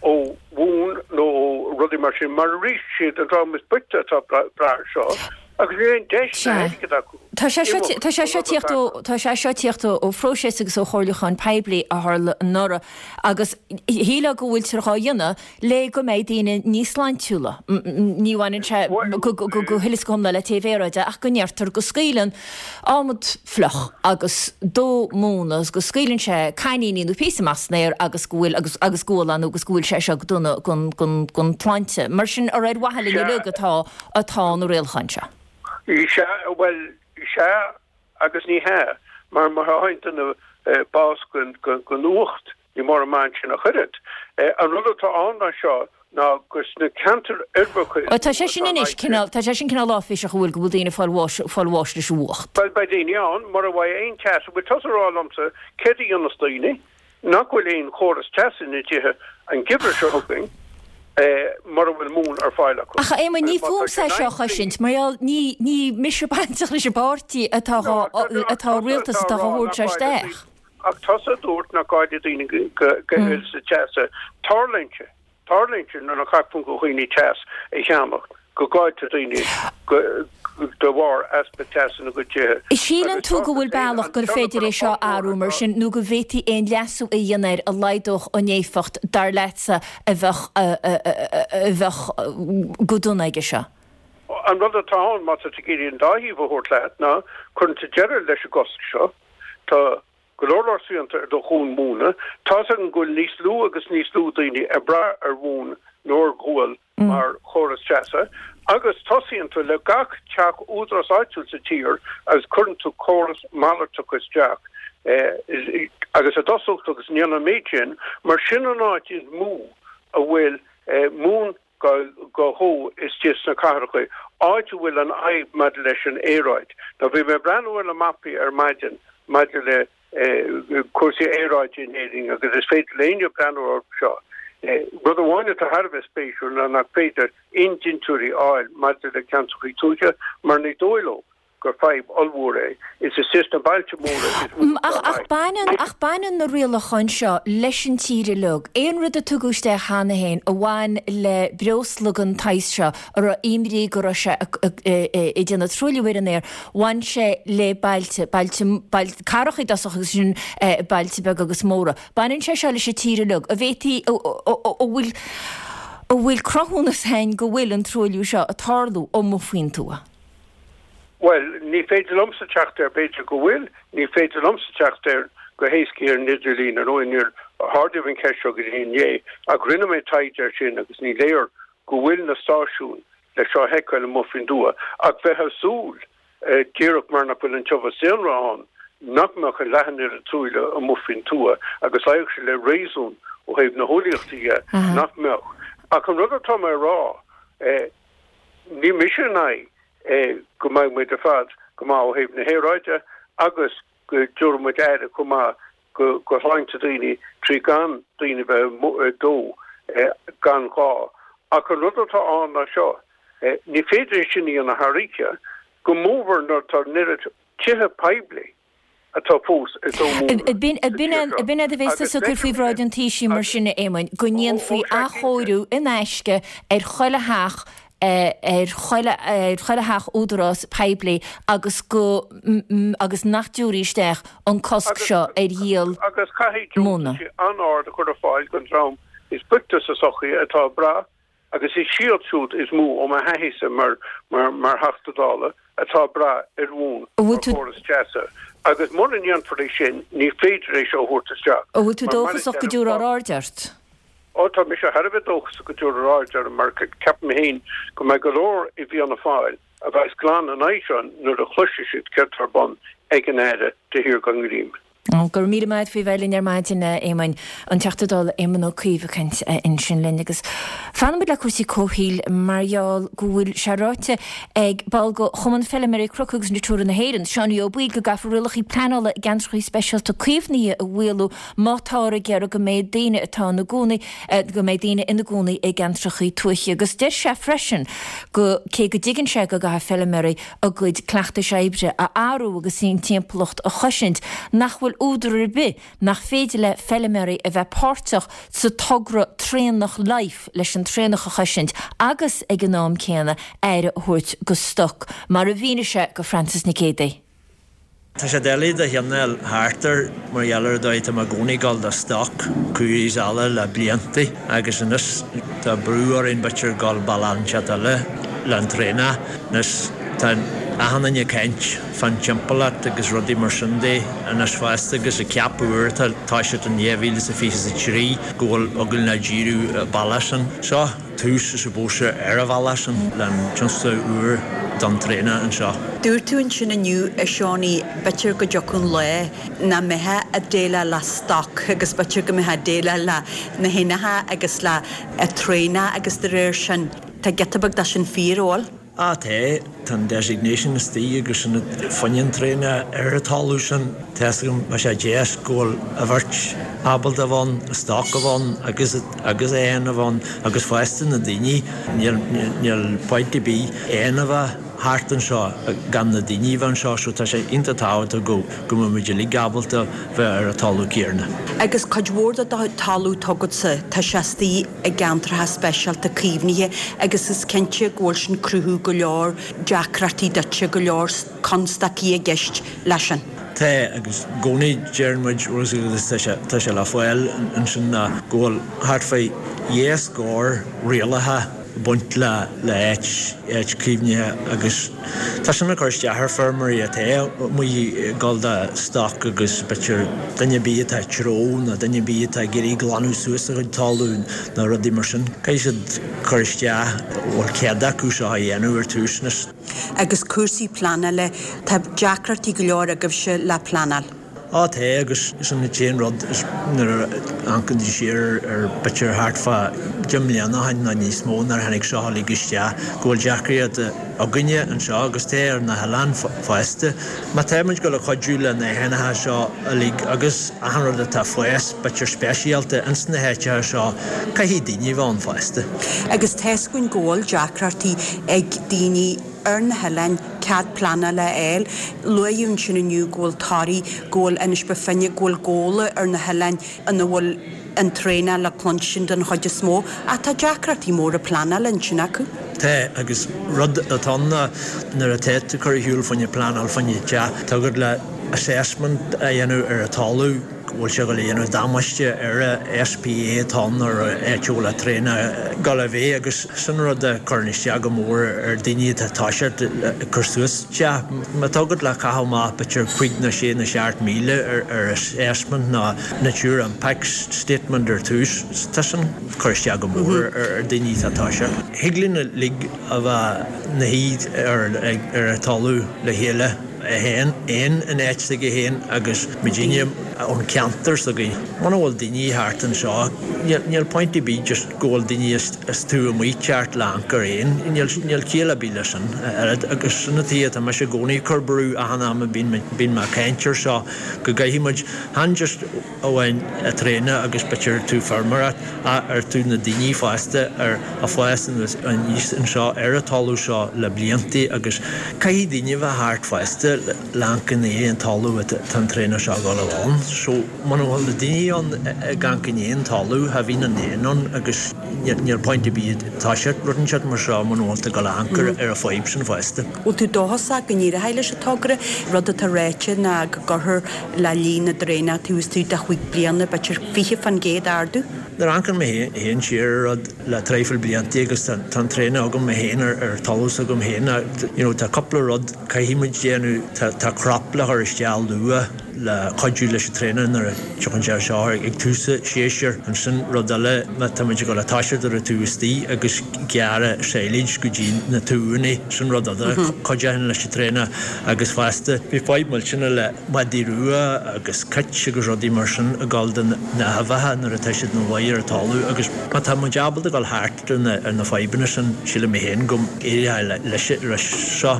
ó mhóin nó ó rudaí mar sin, mar arís, siad an dream is boichte atá ag brath air seo agus níl aon deis ná airgead acu Tá sé seo tá sé seo tíocht ó tá sé seo tíocht ó phróiseas agus ó chomhairliúchán poiblí a tharla anuraidh agus shílfeá go bhfuiltear dhá dhéanamh le go mbeidh daoine níos sláintiúla. Ní bhaineann sé go huile is go hiomlán le téamh aeráide ach go ndeirtear go scaoileann adhmad fliuch agus dó móna agus go scaoileann sé caithníní nó píosa amach san aer agus go bhfuil agus agus gual ann agus go bhfuil sé seo go dona don don don tsláinte. Mar sin ar ar mhaithe linn uilig atá atá na rialacháin seo. Sea, bhuel, sea agus ní hea, mar má fhaigheann duine bás den fhuacht, Ní mór an maith ansin ach oiread. An rud atá ann ná seo ná gur sna ceantair uirbeacha is mó Tá sé sin anois cineál, tá sé sin cineál áiféiseach an bhfuil, go bhfuil daoine ag fáil bháis, fáil bháis leis an bhfuacht. Bhuel, beidh daoine ann, mura bhfaighidh aon teas. An bhfuil tusa ag rá liomsa céard a dhéanfas daoine nach bhfuil aon chóras teasa ina dtithe an geimhreadh seo chugainn mura bhfuil móin ar fáil acu? Ach a Éamoinn, ní Agus má tá fúmsa sé é seo a 9 choisint, mar gheall, ní, ní mise bainteach leis an bpáirtí atá dhá, atá rialtas atá dhá thabhairt seo isteach. Ach tusa a dúirt nach gá do dhaoine uireasa teasa. Tarlaíonn sé, tarlaíonn sé nuair nach acmhainn do dhaoine teas a cheannach, go gcailltear daoine de bharr easpa teasa ina gcuid tithe. Síleann tú go bhfuil bealach gur féidir é seo a athrú mar sin nó go bhféadfaí aon leasú a dhéanamh air a laghdódh an éifeacht, dar leatsa, a bheadh a bheadh go dona aige seo? An rud atá ann, má tá tú ag iarraidh an dá thaobh a thabhairt leat, ná cuireann tú deireadh leis an gcosc seo, Tá go leor leor srianta ar do mhóin mhóna. Tá's agam go bhfuil níos lú agus níos lú daoine ag brath ar mhóin nó ar ghual mar chóras teasa agus tosaíonn tú le gach teach údarás áitiúil sa tír agus cuireann tú córas malartach isteach agus i dtosach agus ndéanann an méid sin mar sin an áit is mó a bhfuil móin dhá dhó istigh sna cathracha, áit a bhfuil an fhadhb maidir leis an aeráid. Now bhí mé ag breathnú ar na mapaí ar maidin maidir le cúrsaí aeráide in Éirinn agus is féidir le éinne breathnú orthu seo. Rud amháin atá thar a bheith spéisiúil ná nach féidir aon dintiúirí a fháil maidir le ceantracha tuaithe mar ní dóigh leo. gur fadhb ollmhór é. Is istigh sna bailte móra is mó atá an fhadhb. Baineann, ach baineann na rialacháin seo leis an tír uilig. Aon rud a tugadh isteach cheana féin a bhain le breosla den tsaghas seo, a raibh imní go raibh sé ag déanamh truailliú ar an aer, bhain sé le bailte, bailte, bailte, cathracha i dtosach agus ansin bailte beaga agus móra. Baineann sé seo leis an tír uilig. An bhféadfaí, an bhfuil, an bhfuil cruthúnas againn go bhfuil an truailliú seo ag tarlú amuigh faoin tuath? Bhuel, ní féidir liomsa teacht air, b'fhéidir go bhfuil, ní féidir liomsa teacht air go héasca ar an idirlíon, ar ndóigh níor ardaíodh an cheist seo go dtí inné, ach rinne mé taighde air sin agus ní léir go bhfuil na stáisiúin le seo a sheiceáil amuigh faoin dtuath, ach bheifeá ag súil, díreach mar nach bhfuil an tiubhas daonra ann, nach mbeadh a leath an oiread truailliú amuigh faoin tuath, agus luífeadh sé le réasún ó thaobh na heolaíochta dhe nach mbeadh. Ach an rud atá mé a rá, Níl mise in aghaidh go mbeidh muid ar fad go maith ó thaobh na haeráide agus go dtabharfaidh muid aire chomh maith go shláinte daoine trí gan daoine bheith ag dó gan ghá. Ach an rud atá ann ná seo, ní féidir é sin a dhéanamh thar oíche, go mórmhór nuair atá an oiread tithe poiblí atá fós ag dó móna B'in é a bheas tusa ag cur faoi bhráid an Taoisigh mar sin, a Éamoinn, go ndéanfaí athchóiriú in aisce ar chuile theach, ar chuile, ar chuile theach údarás poiblí agus go, agus nach dtabharfaí isteach an cosc seo ar dhíol Agus caithfidh móna. deontaisí an-ard a chur ar fáil don dream is boichte sa sochaí atá ag brath Agus is iad siúd is mó ó mo thaithíse mar mar Theachta Dála atá ag brath ar mhóin bhfuil mar tú. chóras teasa. Agus mura ndéanfar é sin, ní féidir é seo a thabhairt isteach. An bhfuil tú Mar mar a dóchasach go deirim, dtabharfar tá. aird ort? Ó, tá mise thar a bheith dóchasach go dtabharfar aird orm mar ceapaim féin go mbeidh go leor i bhFianna Fáil a bheas glan in aghaidh seo nuair a chloisfidh siad céard atá ar bun ag an Aire de shíor gan ghreim. Go raibh míle maith a't faoi bheith linn ar maidin, a Éamoinn. An Teachta Dála Éamon Ó Cuív ag caint ansin linn. Agus fanfaimid le cúrsaí comhshaoil mar gheall go bhfuil sé ráite ag ball de Chumann Feilméaraí Cnoc agus Natura na hÉireann, Seánie Ó Baoill, go gcaithfear rialacha pleanála i gceantracha speisialta caomhnaithe a mhaolú má táthar ag iarraidh go mbeidh daoine atá ina gcónaí go mbeidh daoine ina gcónaí i gceantracha tuaithe. Agus deir sé freisin go cé go dtuigeann sé go gcaithfidh feilméaraí a gcuid cleachtais oibre a athrú agus an timpeallacht a chosaint, nach bhfuil údar ar bith nach féidir le feilméaraí a bheith páirteach sa togra Traonach Life leis an traonach a chosaint agus ag an am céanna aire a thabhairt go stoc, mar a mhínigh sé go Frances Nic Géadaigh. Tá sé doiligh do chineál thart air mar gheall ar an dóigh tá mé i gcónaí ag dul do stoc cú is eile le blianta agus anois tá brú orainn b'fhéidir dul bealach inteacht eile le an traonach. Anois tá achan duine ag caint fán timpeallacht agus rudaí mar sin de anois fosta agus ag ceapadh uair atá toiseacht in 2023 go bhfuil againn le díriú an bealach sin. Seo tús, I suppose, ar an bhealach sin le an tionscadal úr don traonach anseo. Dúirt tú ansin inniu, a Seánie, b'fhéidir go dtiocfadh an lá nach mbeifeá ag déileáil le stoc agus b'fhéidir go mbeifeá ag déileáil le na héanacha agus le traonach agus de réir sin, tá giota beag de sin fíor, an bhfuil? Á tá, tá an designation istigh agus sin fá choinne an traonach ar an talamh sin. Tá fhios agam, bheadh sé deas go bhfuil a bheirt ábalta a bheith ann, an stoc a bheith ann agus agus éin a bheith ann agus fosta na daoine. Níl níl point ar bith éan a bheith thart anseo gan na daoine a bheith anseo so tá sé iontach tábhachtach go go mbeidh muid uilig ábalta bheith ar an talamh céarna. Agus cuid mhór de do talamh atá agatsa, tá sé istigh i gceantracha speisialta caomhnaithe agus is cinnte go bhfuil sin cruthú go leor deacrachtaí duitse, go leor constaicí i gceist leis sin. Tá, agus i gcónaí deireann muid, agus tá sé, tá sé le fáil ansin ná go bhfuil thart fá dhá scór rialacha ag baint le le áit, áit caomhnaithe agus tá sin ag cur isteach ar feirmeoirí atá amuigh ag dul do stoc agus b'fhéidir duine ar bith atá ag treabhadh nó duine ar bith atá ag iarraidh glanadh suas a chuid talún nó rudaí mar sin. Caithfidh siad cur isteach, bhfuil cead acu seo a dhéanamh ar tús anois. Agus cúrsaí pleanála, tá deacrachtaí go leor agaibhse le pleanáil. Á tá, agus sin an t-aon rud is nuair a amharcann tú siar ar b'fhéidir thart fá 10 mbliana ó shin nó níos mó nuair a tháinig seo uilig isteach go bhfuil deacraíocht againne anseo agus tá ar na hoileáin fosta. Má tá muid ag dul a chuidiú le na héanacha seo uilig agus achan rud atá ag fás b'fhéidir speisialta ins na háiteacha seo caithfidh daoine a bheith ann fosta. Agus tá 'fhios againn go bhfuil deacrachtaí ag daoine ar na hoileáin. cead pleanála a fháil. Luaíodh ansin inniu go bhfuil Toraigh, go bhfuil Inis Bó Finne, go bhfuil Gabhla ar na hoileáin ina bhfuil an traenáil le cluinstin den chuid is mó, ach tá deacrachtaí móra pleanála ansin acu. Tá, agus rud atá ann ná nuair atá tú ag cur ar shiúl fá choinne pleanáil fá choinne teach, tá agat le assessment a dhéanamh ar an talamh, go bhfuil sé ag dul a dhéanamh damáiste ar an SPA atá ann ar an áit a bhfuil an traenach ag dul a bheith agus sin rud a chuireann isteach go mór ar daoine atá ag toiseacht ag cur suas teach. Má tá agat le caitheamh amach b'fhéidir cuig nó sé nó 7,000 ar assessment nó Nature Impact Statement ar tús, tá sin ag cur isteach go mór ar daoine atá ag toiseacht. Thig linn uilig a bheith 'na shuí ar an talamh le chéile. 1, 1 in áit s'aige féin agus muidinne ón cheantar s'againn. Muna bhfuil daoine thart anseo, níl point ar bith just go bhfuil daoine is tú amuigh ceart le amharc ar éan, níl ciall ar bith leis sin a oiread agus sin an tuige atá mise i gcónaí ag cur brú achan am a bíonn mé ag caint ar seo go gcaithfidh muid, chan just amháin an traenach agus b'fhéidir tú feirmeoireacht ach ar tú na daoine fosta ar a fás aníos anseo ar an talamh seo le blianta agus caithfidh daoine a bheith thart fosta le amharc i ndiaidh an talamh atá an traenach seo ag dul a bheith ann. So muna bhfuil na daoine ann ag amharc i ndiaidh an talamh cha bhíonn an éan ann agus níl point ar bith toiseacht rud inteacht mar seo muna bhfuil tú ag dul a amharc ar an fadhb sin fosta. Bhfuil tú dóchasach go n-éireoidh leis an togra? Rud atá ráite ná go gcuirfear le líon na dtraenach taobh istigh de chúig bliana, b'fhéidir 20% ardú. Nuair a amharcann mé féin siar ar rud le traidhfil blianta agus tá an traenach agam mé féin ar talamh s'agam féin you know tá cúpla rud caithfidh muid déanamh, tá crop le chur isteach luath le cuidiú leis an traenach nuair a tiocfaidh sé seo ag tús an séasúir. Ansin rud eile má tá muid ag dul a toiseacht ar an taobh istigh agus gearradh silage go dtí na tuanna, sin rud eile a chuideoidh leis an traenach agus fosta bhí fadhb millteanach le madaí rua agus cait agus rudaí mar sin ag gabháil do na huibheacha nuair atá siad ina luí ar an talamh agus má tá muid ábalta dul thart ar na fadhbanna sin, sílim mé féin go n-éireoidh leis seo.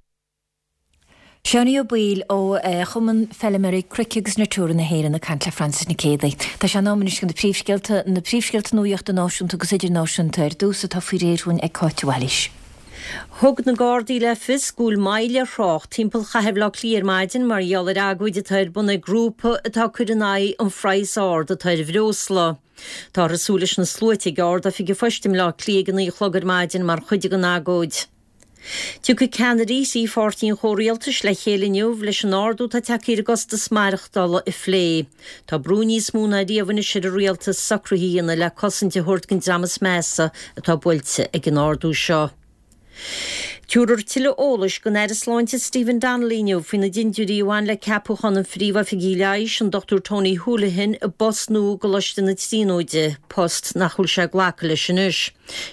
Seánie Ó Baoill ó Chumann Feilméaraí Cnoic agus Natura na hÉireann ag caint le Frances Nic Géadaigh. Tá sé in am anois do na príomhscéalta, na príomhscéalta nuaíochta náisiúnta agus idirnáisiúnta ar dtús atá faoi réir dhúinn ag Cáit de Bhailís. Thug na Gardaí le fios go bhfuil moill ar thrácht timpeall chathair Bhaile Átha Cliath ar maidin mar gheall ar agóid atá ar bun ag grúpa atá ag cur in aghaidh an phraghas ard atá ar bhreosla. Táthar ag súil leis na sluaite ag Ard-Oifig an Phoist i mBleá Cliath ag a 9 a chlog ar maidin mar chuid den agóid. Tiocfaidh ceannairí thrí pháirtí an chomhrialtais le chéile inniu leis an ardú atá tagtha ar an gcostas maireachtála a phlé. Tá brú níos mó ná riamh anois ar an rialtas socruithe a dhéanamh le cosaint a thabhairt don dream is measa atá buailte ag an ardú seo. Tabharfar tuilleadh eolais don Aire Sláinte Stephen Donnelly inniu faoi na dintiúirí a bhain le ceapúchán an Phríomh-Oifigigh Leighis, an Dr Tony Holohan, i bpost nua i gColáiste na Tríonóide, post nach bhfuil sé ag glacadh leis anois.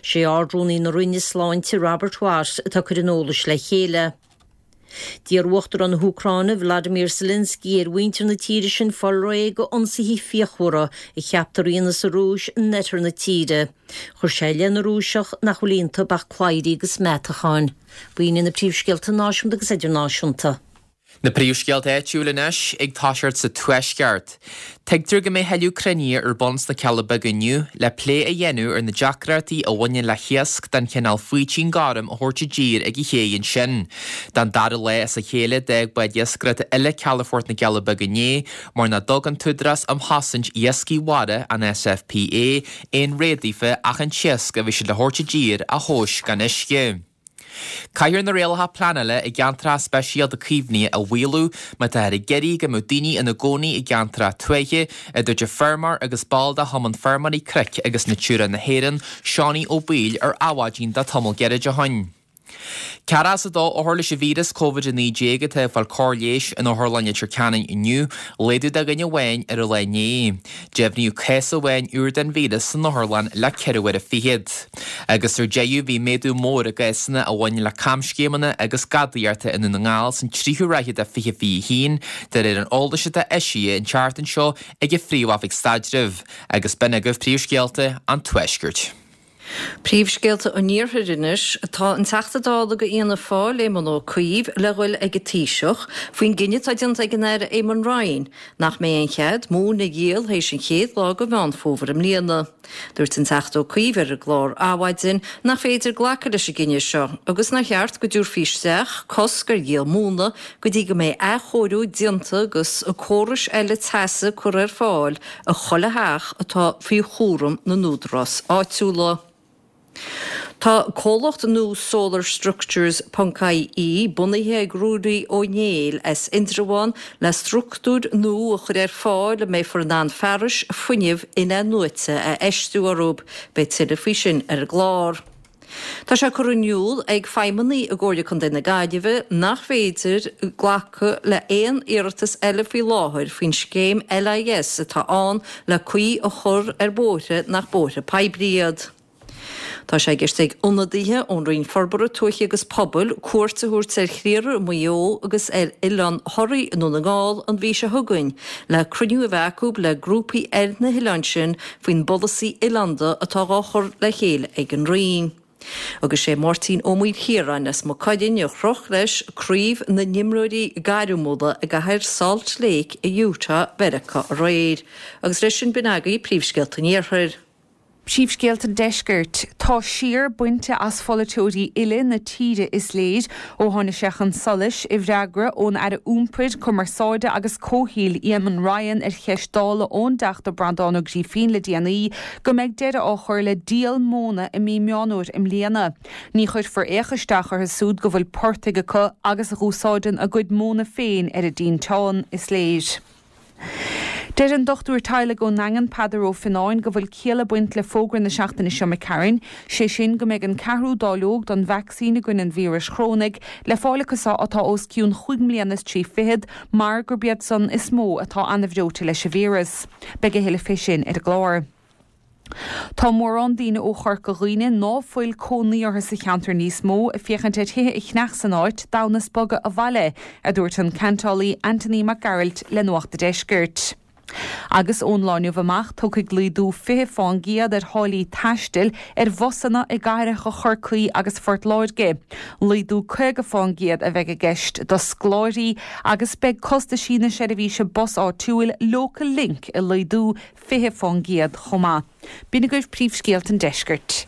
Sé Ard-Rúnaí na Roinne Sláinte, Robert Watt, atá ag cur an eolais le chéile. D'iarr Uachtarán na hÚcráine, Volodymyr Zelensky, ar mhuintir na tíre sin fáil réidh d'ionsaithe fíochmhara a cheaptar a dhéanas an Rúis in oirthear na tíre. Chuir sé i leith na Rúiseach nach bhfuil iontu ach cladhairí agus meatacháin. B'in iad na príomhscéalta náisiúnta agus idirnáisiúnta. Na príomhscéalta áitiúil anois, ag toiseacht sa Tuaisceart. Tuigtear go mbeidh tuilleadh cruinnithe ar bun sna Cealla Beaga inniu le plé a dhéanamh ar na deacrachtaí a bhaineann le hiasc den chineál faoitín gorm a thabhairt i dtír ag an ché ansin. Den dara lá as a chéile d'fhág báid iascaireachta eile calafort na gCealla Beaga inné mar nach dtug an tÚdarás um Chosaint Iascaigh Mhara, an SFPA, aon rogha daofa ach an t-iasc a bhí siad le thabhairt i dtír a thomhas gan uisce. Caithfear na rialacha pleanála i gceantracha speisialta caomhnaithe a mhaolú má táthar ag iarraidh go mbeadh daoine ina gcónaí i gceantracha tuaithe, a dúirt an feirmeoir agus ball de Chumann Feirmeoirí Cnoic agus Natura na hÉireann, Seánie Ó Baoill ar Adhmhaidin le tamall gairid ó shin. 42 othar leis an víreas Covid-19 atá ag fáil cóir leighis in Otharlann Leitir Ceanainn inniu, laghdú de dhuine amháin ar an lá inné. Deimhníodh cás amháin úr den víreas san otharlann le ceithre huaire fichead. Agus ar deireadh bhí méadú mór i gcásanna a bhain le camscéimeanna agus gadaíochta i nDún na nGall san tríú ráithe de 2021, de réir an eolais atá eisithe an tseachtain seo ag an Phríomh-Oifig Staidrimh. Agus b'in agaibh príomhscéalta an Tuaiscirt. Príomhscéalta an Iarthair anois. Tá an Teachta Dála do Fhianna Fáil, Éamon Ó Cuív, le ghoil ag an Taoiseach faoin gcinneadh atá déanta ag an Aire Eamon Ryan nach mbeidh aon chead móin a dhíol théis an chéad lá de Mheán Fómhair i mbliana. Dúirt an Teachta Ó Cuív ar an gclár Adhmhaidin nach féidir glacadh leis an gcinneadh seo agus nár cheart go dtabharfaí isteach cosc ar dhíol móna go dtí go mbeidh athchóiriú déanta agus córais eile teasa curtha ar fáil i chuile theach atá faoi chúram na n-údarás áitiúla. Tá comhlacht nua Solar Structures ponc IE bunaithe ag Ruairí Ó Néill as Indreabhán le struchtúir nua a chur ar fáil a mbeifear in ann fearais fuinnimh in-athnuaite a fheistiú orthu. Beidh tuilleadh faoi sin ar an gclár. Tá sé curtha in iúl ag feidhmeannaigh i gComhairle Contae na Gaillimhe nach féidir glacadh le haon iarratas eile faoi láthair faoin scéim LIS atá ann le caoi a chur ar bhóithre nach bóithre poiblí iad. Tá sé i gceist ag ionadaithe ón Roinn Forbartha Tuaithe agus Pobail cuairt a thabhairt ar Chliara i Maigh Eo agus ar Oileán Thoraí i nDún na nGall an mhí seo chugainn le cruinniú a bheith acu le grúpaí ar na hoileáin sin faoin bpolasaí oileánda atá dhá chur le chéile ag an Roinn. Agus sé Máirtín Ó Maoilchiaráin as Maigh Cuilinn a chroch leis craobh na n-imreoirí gairmiúla i gcathair Salt Lake i Utah Mheiriceá aréir. Agus leis sin b'in agaibh príomhscéalta an Iarthair. Príomhscéalta an Deiscirt. Tá siar bainte as pholaiteoirí uile na tíre is léir ó tháinig sé chun solais i bhfreagra ón Aire Iompair, Cumarsáide agus Comhshaoil Eamon Ryan ar cheist Dála ón dTeachta Breandán Ó Grífín le déanaí go mbeidh deireadh á chur le díol móna i mí Meán Fhómhair i mbliana. Ní chuirfear fhéach isteach orthu súd go bhfuil portaigh acu agus a dh'úsáideann a gcuid móna féin ar a dtinteán, is léir. Deir an dochtúir teaghlaigh ón nDaingean, Peadar Ó Fionnáin, go bhfuil ciall ag baint le fógra na seachtaine seo imigh tharainn, sé sin go mbeidh an ceathrú dáileog don vacsaín i gcoinne an víris chorónaigh le fáil acu san atá os cionn chúig mbliana is 30 mar gurb iad san is mó atá an-bhreoite leis an víreas. Beidh a thuilleadh fé sin ar an gclár. Tá mórán daoine ó Chorca Dhuibhne ná fuil cónaí orthu sa cheantar níos mó ag féachaint ar thithe a cheannach san áit d'fhonn is bogadh abhaile, a dúirt an ceantálaí Anthony Mac Gearailt le Nuacht a' Deiscirt. Agus ón lá inniu amach tiocfaidh laghdú 20 fán gcéad ar tháillí taistil ar bhusanna i gcathracha Chorcaí agus Phort Láirge. Laghdú 50 fán gcéad a bheidh i gceist do scoláirí agus beidh costaisí na seirbhíse bus áitiúil Local Link ag laghdú 20% chomh maith. B'in agaibh príomhscéalta an deiscirt.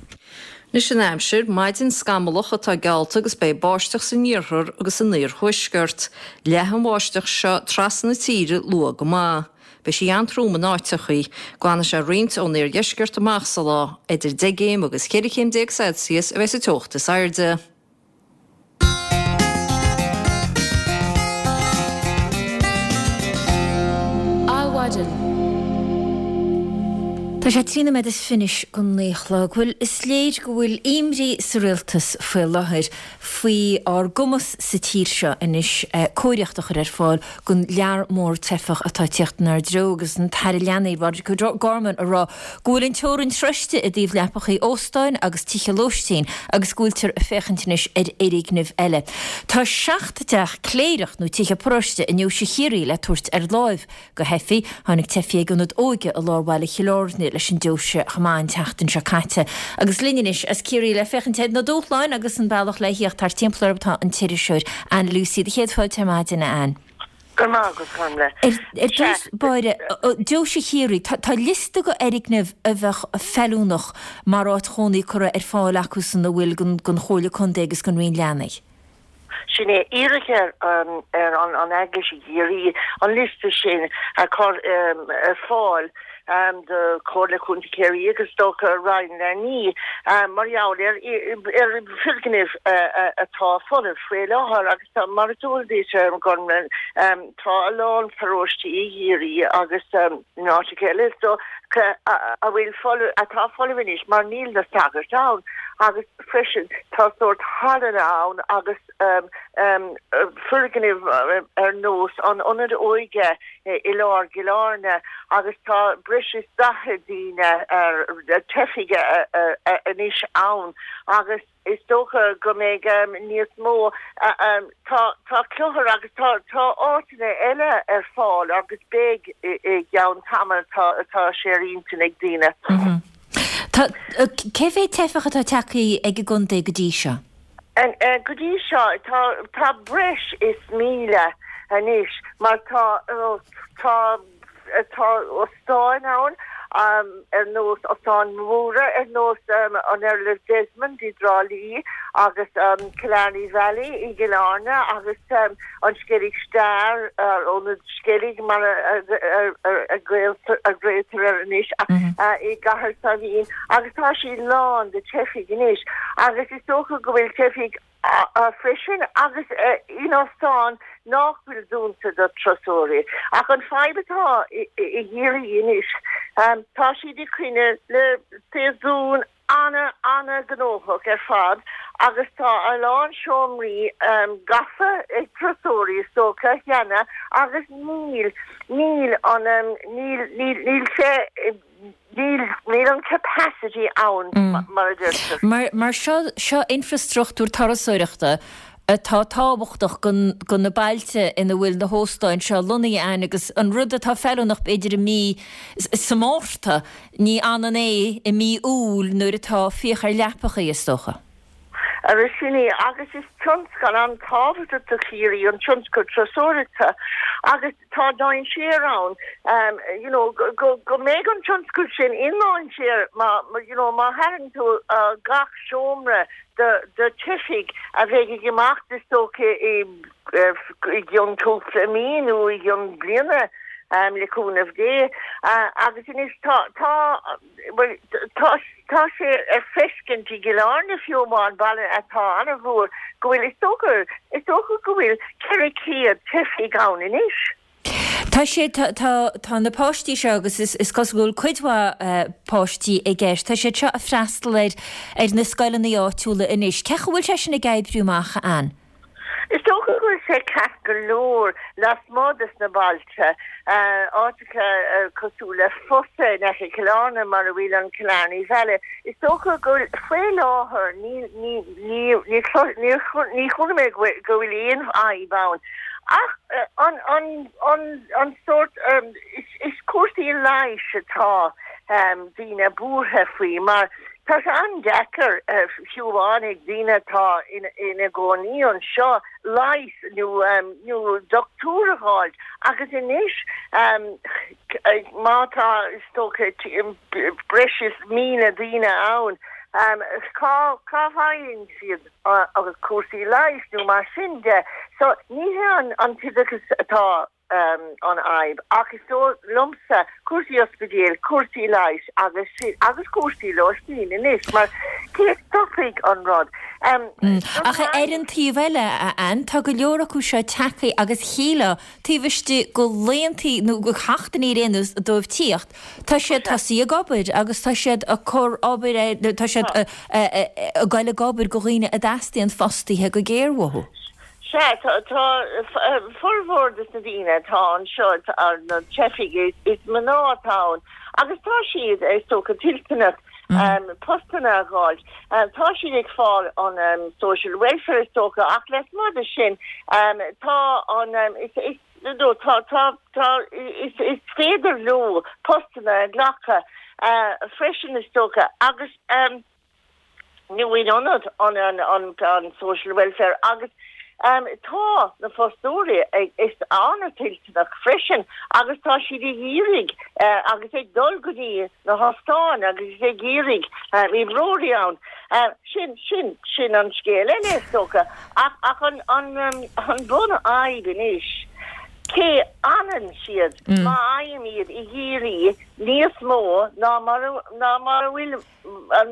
Anois an aimsir, maidin scamallach atá geallta agus beidh báisteach san iarthar agus san iarthuaisceart. Leathfaidh an bháisteach seo trasna na tíre luath go maith. Beidh sí an-trom in áiteachaí. Glanfaidh sé roinnt ón iardheisceart amach sa lá. Idir 10 gcéim agus 14 chéim Celsius a bheidh sa teocht is airde. Adhmhaidin. Tá sé 13 nóiméad is fiche go naoi a chlog. Bhuel, is léir go bhfuil imní sa rialtas faoi láthair faoi ár gcumas sa tír seo anois cóiríocht a chur ar fáil don lear mór teifeach atá ag tíocht inár dtreo agus an tAire Leanaí, Roderic O'Gorman, ag rá go bhfuil an teorainn sroiste i dtaobh leapachaí óstáin agus tithe lóistín agus go bhfuiltear ag féachaint anois ar fhoirgnimh eile. Tá 7 dteach cléireach nó tithe paróiste i nDeoise Chiarraí le tabhairt ar láimh go theifigh. Tháinig teifigh ag ionad óige i lár bhaile Chill Airne leis an deoise chomh maith an tseachtain seo caite. Agus linn anois as Ciarraí le féachaint ar na dúshláin agus an bealach le thíocht thart timpeall orthu tá an t-iriseoir Ann Lucey. Do chéad fáilte ar maidin, a Ann. Go raibh maith agat, Gormlaith. Ar dtús báire, Deoise Chiarraí, tá liosta de fhoirgnimh a bheadh feiliúnach mar áit chónaí curtha ar fáil acusan a bhfuil don Chomhairle Contae agus don Roinn Leanaí. Sin é. Iarradh ar an Eaglais i gCiarraí an liosta sin a chur ar fáil do Chomhairle Contae Chiarraí agus do Roinn Leanaí mar gheall ar foirgnimh atá folamh faoi láthair agus tá, mar is eol duit, Gormlaith, tá a lán paróistí i gCiarraí agus in áiteacha eile so a bhfuil folamh, atá folamh anois mar níl na sagairt ann agus freisin tá sórt hallanna ann agus foirgnimh ar nós an Ionad Óige i lár gCill Airne agus tá breis is 40 daoine, teifigh anois ann agus is dócha go mbeidh níos mó. Tá tá cluthair agus tá tá áiteanna eile ar fáil agus beidh i gceann tamaill tá tá sé ar intinn ag daoine. Tá. Tá, cé mhéad teifeach atá tagtha ag an gcontae go dtí seo? Go dtí seo tá, tá breis is 1,000 anois mar tá, tá, tá óstáin ann ar nós óstáin mhóra ar nós an Earl of Desmond i dTrá Lí agus Killarney Valley i gCill Airne agus an Skellig Star, Ionad Skellig mar a ghlaotar air anois, i gCathair Saidhbhín agus tá sí lán de teifigh anois agus is dócha go bhfuil teifigh freisin agus in óstáin nach bhfuil dúnta do turasóirí. Ach an fadhb atá i gCiarraí anois, tá siad ag coinne le séasún ana, ana ghnóthach ar fad agus tá a lán seomraí gafa ag turasóirí is dócha cheana agus níl, níl an, níl, níl, níl sé, níl, níl an capacity ann mar a deirtear. Mar, mar seo, seo infreastruchtúr turasóireachta atá tábhachtach do na bailte ina bhfuil na hóstáin seo lonnaithe ann agus an rud atá feiliúnach b'fhéidir i mí sa Márta, ní ionann é i mí Iúil nuair atá fiach ar leapachaí, is dócha. Ara sin é, agus is tionscal an-tábhachtach do Chiarraí an tionscal turasóireachta agus tá dainséar ann you know go go mbeidh an tionscal sin i ndainséar má you know má tharraing tú gach seomra de teifigh a bheidh ag imeacht is dócha i gcionn cúpla mí nó i gcionn bliana le cúnamh Dé. Agus anois tá, tá, bhuel, tá, tá sé ar feiscint i gCill Airne fiú amháin, baile atá an-mhór, go bhfuil, is dócha, is dócha go bhfuil 400 teifigh ann anois. Tá sé, tá, tá, tá na páistí seo agus is, is cosúil go bhfuil cuid mhaith páistí i gceist, tá siad seo ag freastal ar, ar na scoileanna áitiúla anois. Cén chaoi a bhfuil sé sin ag oibriú amach, a Ann? Is dócha go bhfuil sé ceart go leor lasmuigh des na bailte, áiteacha cosúil le Fosa in aice Chill Airne mar a bhfuil an Killarney Valley. Is dócha go bhfuil, faoi láthair, ní, ní, ní, ní, ní, ní chuala mé go bhfuil aon fhadhb ann. Ach an, an, an, an sórt, is, is cúrsaí leighis atá daoine buartha faoi mar tá sé an-deacair, fiú amháin ag daoine atá ina gcónaí anseo, leigheas nó, nó dochtúir a dh'fháilt. Agus anois má tá, is dócha, breis is 1,000 daoine ann, cá, cá bhfaigheann siad? agus cúrsaí leighis nó mar sin de. So ní hé an t-oideachas atá an fhadhb ach is dóigh liomsa cúrsaí ospidéil, cúrsaí leighis agus sin agus cúrsaí lóistín anois mar cé a stopfaidh an rud? Ach ar an taobh eile, a Ann, tá go leor acu seo tagtha agus shílfeá taobh istigh de laethanta nó de sheachtainí ar aon nós dóibh tíocht, tá siad tosaithe ag obair agus tá siad ag cur obair ar, tá siad ag goil ag obair do dhaoine a dteastaíonn fostaithe go géar uathu. Sea, tá formhór de na daoine atá anseo, na teifigh, is mná atá ann agus tá siad, is dócha, toilteanach postanna a dh'fháilt. Tá siad ag fáil an social welfare is dócha ach lasmuigh de sin tá an, is, nó tá, tá, tá, is, is féidir leo postanna a ghlacadh freisin is dócha agus nó in ionad an, an, an, an social welfare agus tá na fostóirí ag, is an-toilteanach freisin agus tá siad ag iarraidh agus ag dul go dtí na hostáin agus ag iarraidh oibreoirí ann. Sin, sin, sin an scéal eile is dócha. Ach, ach an, an, an bunfhadhb anois, cé fhanann siad má fhaighim iad i gCiarraí níos mó ná mar a, ná mar a bhfuil,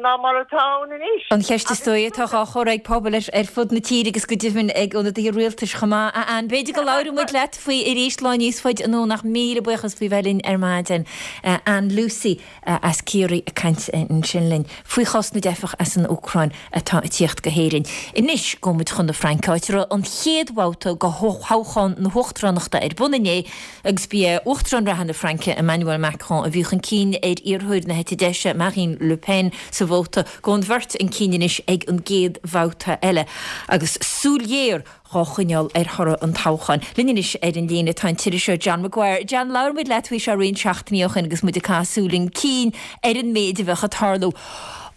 ná mar atá ann anois. An cheist is dóigh atá á chur ag pobail ar fud na tíre agus go deimhin ag ionadaithe rialtais chomh maith. A Ann, b'fhéidir go labhróidh muid leat faoi arís lá níos faide anonn ach míle buíochas faoi bheith linn ar maidin. Ann Lucey. as Ciarraí ag caint ansin linn faoi chás na dteifeach as an Úcráin atá ag tíocht go hÉirinn. Anois gabhfaidh muid chun na Fraince, áit a raibh an chéad bhabhta de thoghchán na huachtaránachta ar. ar bun inné agus ba é Uachtarán reatha na Fraince, Emmanuel Macron, a bhí chun cinn ar iarrthóir na heite deise, Marine Le Pen, sa vóta. Gabhann an bheirt chun cinn anois ag an gcéad bhabhta eile agus súil ghéar dhá choinneáil ar thoradh an toghcháin. Linn anois ar an líne tá an t-iriseoir John Maguire. John, labhair muid leat faoi seo roinnt seachtainí ó shin agus muid ag caitheamh súil chun cinn ar an méid a bheadh ag tarlú.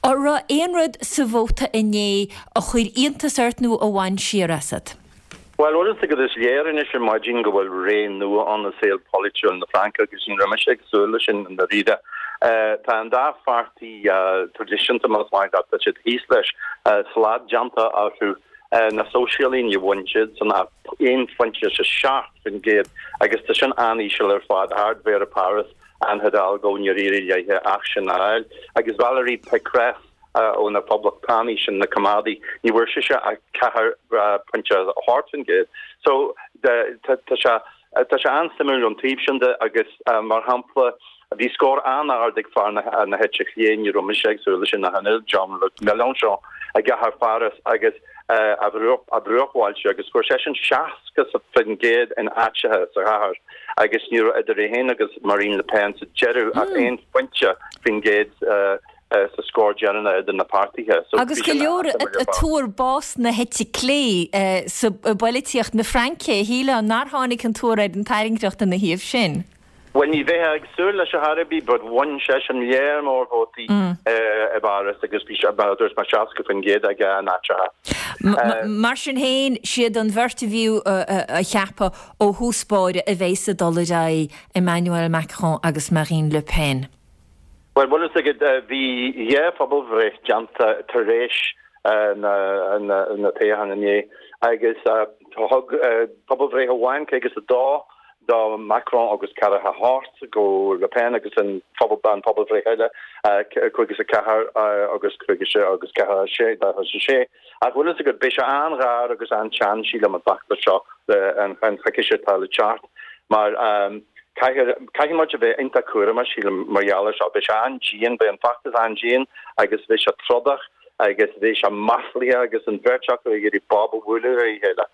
An raibh aon rud sa vóta inné a chuir iontas ort nó a bhain siar asat? Bhuel, bhfuil fhios agat, is léir anois ar maidin go bhfuil ré nua ann i saol polaitiúil na Fraince agus ní raibh mise ag súil leis sin i ndáiríre. Tá an dá pháirtí traidisiúnta, más maith leat, tá siad thíos leis, slad déanta orthu. Na Sóisialaigh, ní bhain siadsan ach 1.7% agus tá sin an-íseal ar fad. Ardmhéara Páras, Anne Hidalgo, níor éirigh léithe ach sin a fháil. Agus Valérie Pécresse ó na Poblachtánaigh, sin na coimeádaigh, ní bhfuair sise ach 4.8%. So tá sé Tá sé an-suimiúil ón taobh sin de agus, mar shampla, bhí scór an-ard ag fear na heite chlé, ní raibh mise ag súil leis sin ach an oiread, Jean-Luc Mélenchon i gcathair Pháras agus a bhruachbhailte agus fuair seisean 60% in áiteacha sa chathair agus ní raibh idir é féin agus Marine Le Pen sa deireadh ach aon phointe faoin gcéad. sa scór deireanach idir na páirtithe. So Agus go leor ag tuar bás na heite clé sa bpolaitíocht na Fraince, shílfeá nár tháinig an tuar ar an tairngreacht ina thaobh sin. Bhuel, ní bheifeá ag súil leis ar chor ar bith, but bhain seisean léar mór vótaí i bPáras agus bhí sé, mar a dúirt mé, 60% aige in áiteacha. Mar sin féin, siad an bheirt a bhíodh á cheapadh ó thús báire a bheas ag dul ar aghaidh, Emmanuel Macron agus Marine Le Pen. Bhuel, bhfuil fhios agat, bhí dhá phobalbhreith déanta tar éis na toghcháin inné agus thug pobalbhreith amháin 52 do Macron agus 48 go Le Pen agus an pobalbhreith eile 54 agus 46. Ach bhfuil fhios agat, beidh sé an-ghar agus an-teann, sílim, an feachtas seo an choicís atá le teacht mar caithfidh muid a bheith iontach cúramach, sílim, mar gheall air seo. Beidh sé an-dian, beidh an feachtas an-dian agus beidh sé trodach agus beidh sé maslaithe agus an bheirt acu ag iarraidh bob a bhualadh ar a chéile.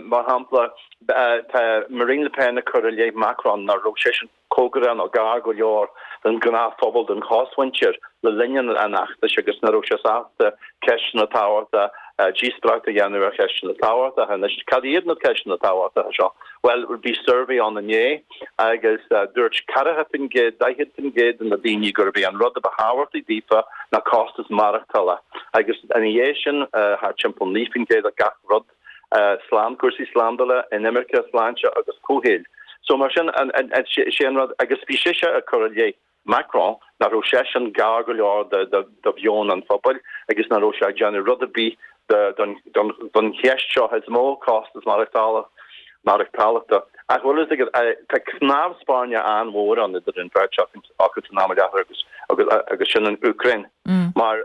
Mar shampla, tá Marine Le Pen ag cur i leith Macron nach raibh seisean cóngarach nó gar go leor don ghnáthphobal, don chosmhuintir, le linn an fheachtais agus nach raibh sé sásta ceisteanna tábhachtacha, díospóireacht a dhéanamh ar cheisteanna tábhachtacha. Anois, cad iad na ceisteanna tábhachtacha seo? Bhuel, bhí suirbhé ann inné agus dúirt 40%, 40% de na daoine gurb é an rud a ba thábhachtaí daofa ná costas maireachtála agus ina dhiaidh sin, thart timpeall 9% de gach rud. slán, cúrsaí slándála, inimirce, sláinte agus comhshaoil. So mar sin, sé an rud, agus bhí sise ag cur i leith Macron nach raibh seisean gar go leor do mheon an phobail agus nach raibh sé ag déanamh rud ar bith don cheist seo is mó, costas maireachtála, maireachtála. Ach bhfuil fhios agat, tá cnámh spairne an-mhór ann idir an bheirt acu san am i láthair agus agus sin an Úcráin mar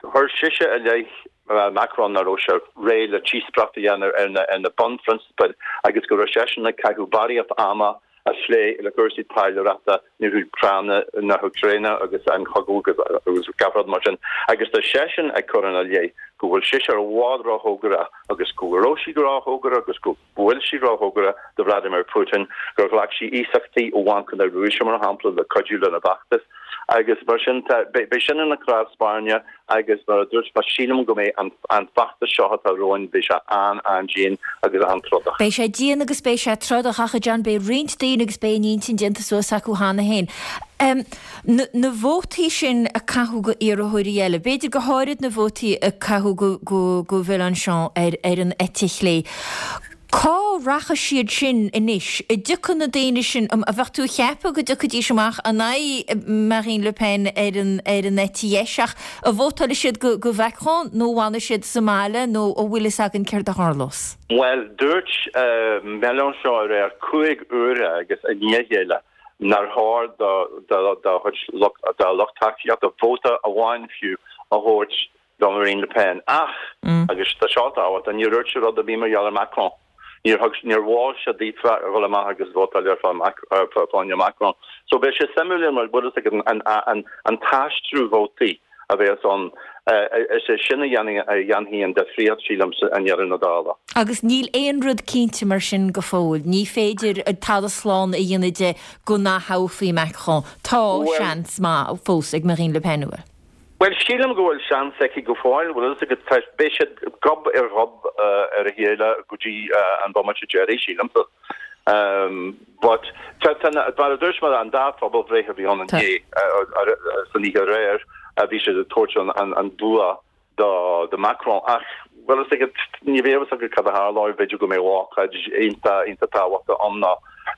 Chuir sise i leith Macron nach raibh sé réidh le díospóireacht a dhéanamh ar na bunphrionsabail agus go raibh seisean ag caitheamh barraíocht ama ag plé le cúrsaí taidhleoireachta na hÚcráine agus an chogadh agus gach rud mar sin agus tá seisean ag cur ina leith go bhfuil sise i bhfad róchóngarach agus go raibh sí róchóngarach agus go bhfuil sí róchóngarach do Vladimir Putin, gur ghlac sí iasachtaí ó Bhanc na Rúise, mar shampla, le cuidiú lena bhfeachtas agus mar sin beidh sin ina chnámh spairne agus mar a dúirt mé, sílim go mbeidh an feachtas seo atá romhainn, beidh sé an-an-dian agus an-trodach. Beidh sé dian agus beidh sé trodach ach a John, beidh roinnt daoine agus beidh a n-intinn déanta suas acu cheana féin. Na vótaí sin a caitheadh go iarrthóirí eile, b'fhéidir go háirid na vótaí a caitheadh go Mélenchon ar an eite chlé, cá rachaidh siad sin anois? An dtiocfaidh na daoine sin, an bheadh tú ag ceapadh go dtiocfaidís amach in aghaidh Marine Le Pen ar an ar an eite dheis ach an vótálfaidh siad go Macron nó an bhfanfaidh siad sa mbaile nó an bhfuil fhios againn céard a tharlós? Bhuel, dúirt Mélenchon aréir 5 huaire agus i ndiaidh a chéile nár chóir dá chuid dá lucht tacaíochta vóta amháin fiú a thabhairt do Marine Le Pen. Ach, agus tá seo tábhachtach, níor dhúirt sé rud ar bith mar gheall ar Macron. Níor thug, níor mhol sé daofa a dhul amach agus vótáil ar fáinne Macron. So beidh sé suimiúil an bhfuil fhios agat an t-aistriú vótaí. a bheas ann, is é sin a dhéanfaidh an difríocht, sílim, i ndeireadh na dála. Agus níl aon rud cinnte mar sin go fóill. Ní féidir tada slán a dhéanamh de go n-ath-thoghfaí Macron. Tá seans maith fós ag Marine Le Pen, an bhfuil? Bhuel, sílim go bhfuil seans aici go fóill, bhfuil a fhios agat, tá, beidh siad gob ar ghob ar a chéile go dtí an bomaite deiridh, sílimse. But, tá, tá, mar a dúirt mé, an dá phobalbhreith a bhí ann inné, san oíche aréir, bhí siad ag tabhairt an, an bua do, do Macron. Ach, bhfuil a fhios agat, ní bheidh a fhios agat cad a tharlóidh, b'fhéidir go mbeidh ócáid iontach, iontach tábhachtach ann nó,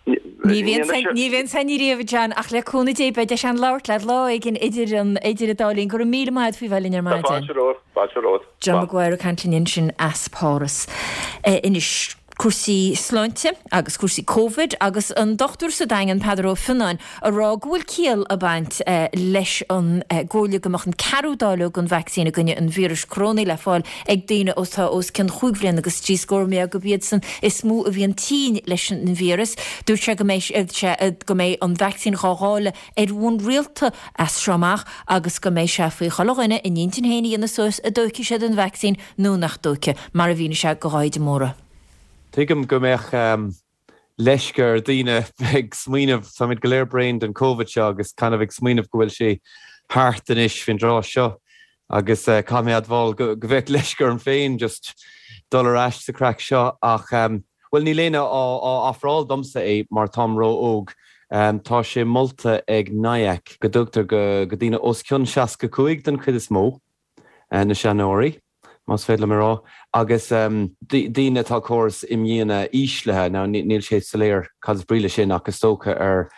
Ní bhíonn san riamh, a John, ach le cúnamh Dé beidh deis againn labhairt leat lá éigin idir an idir an dá linn. Go raibh míle maith agat faoi bheith linn ar maidin. Tá fáilte romhat, fáilte romhat. John Maguire ag caint linn ansin as Páras. Anois, cúrsaí sláinte agus cúrsaí Covid agus an dochtúir sa Daingean, Peadar Ó Fionnáin, a rá go bhfuil ciall ag baint leis an gcomhairle go mbeadh an ceathrú dáileog den vacsaín i gcoinne an víris corónaigh le fáil ag daoine atá os cionn chúig bhliana agus trí scór, mar gurb iadsan is mó a bhíonn tinn leis an víreas. Dúirt sé go mbeidh sé go mbeidh an vacsaín dhá dháileadh ar bhonn rialta as seo amach agus go mbeidh sé faoi chuile dhuine a n-intinn féin a dhéanamh suas an dtóigfidh siad an vacsaín nó nach dtóigfidh, mar a mhínigh sé do Dháithí de Mórdha. Tuigim go mbeadh leisce ar daoine ag smaoineamh, táimid go léir bréan den Covid seo agus kind of ag smaoineamh go bhfuil sé thart anois faoin dtráth seo agus caithfidh mé admháil go bheadh leisce orm féin just dul ar ais sa chraic seo ach bhuel níl éinne á ofráil domsa é mar táim ró-óg. Tá sé molta ag NIAC go dtugtar go daoine os cionn 65 den chuid is mó, na seanóirí. más féidir liom a rá, agus daoine atá córas imdhíonadh íslithe, now níl sé soiléir cad is brí leis sin ach is dócha ar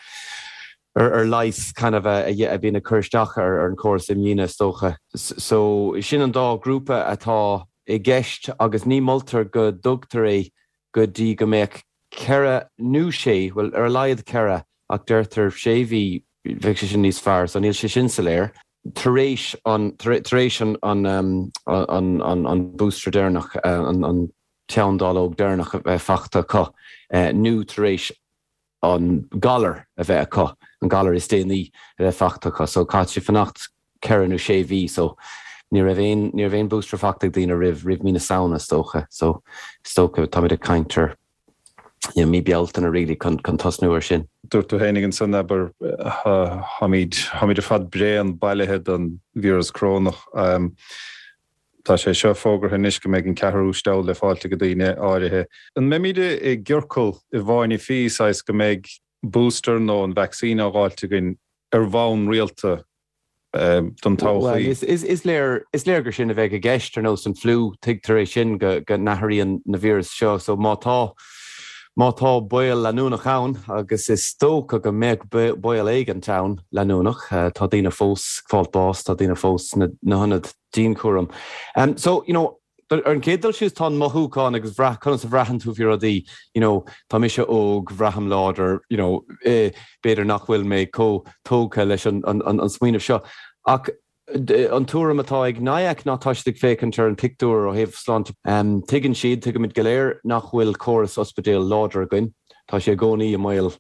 ar leigheas kind of a bhíonn ag cur isteach ar an chóras imdhíonadh is dócha. So sin an dá ghrúpa atá i gceist agus ní moltar go dtugtar é go dtí go mbeadh ceithre nó sé, bhuel ar a laghad ceithre ach deirtear sé mhí, bheadh sé sin níos fearr, so níl sé sin soiléir. tar éis an, tar éis an, an, an, an booster deireanach, an, an ceann dáileog deireanach a bheith fachta acu, nó tar éis an galar a bheith acu, an galar is déanaí a bheith fachta acu. So caithfidh siad fanacht ceithre nó sé mhí. So ní raibh aon, ní raibh aon booster fachta ag daoine roimh, roimh mí na Samhna is dócha. So is dócha táimid ag caint ar you know, mí Bealtaine really chun, chun tosnú ar sin. Dúirt tú féinig ansan, abair, táimid, táimid ar fad bréan bailithe den víreas corónach. Tá sé seo fógartha anois go mbeidh an ceathrú steall le fáilt ag daoine áirithe. An mbeimid i gciorcal i bhfáinne fí, saghas go mbeidh booster nó an vacsaín á dh'fháilt againn ar bhonn rialta don todhchaí. Bhuel, is léir, is léir gur sin a bheidh i gceist, ar nós an fliú, tuigtear é sin go n-athraíonn na víris seo. So má tá, má tá baol leanúnach ann, agus is dócha go mbeadh baol éigint ann leanúnach, tá daoine fós ag fáilt bás, tá daoine fós sna hionaid dianchúraim. So, you know, Ar an gcéad dul síos, tá an mothúchán agus bhrath, conas a bhraitheann tú faoi rudaí, you know, tá mise óg, bhraithim láidir, you know, b'fhéidir nach bhfuil mé chomh tógtha leis an, an, an smaoineamh seo. Ach an tuairim atá ag NIAC ná tá siad ag féachaint ar an pictiúr ó thaobh sláinte. Tuigeann siad, tuigimid go léir nach bhfuil córas ospidéal láidir againn, tá sé i gcónaí i mbaol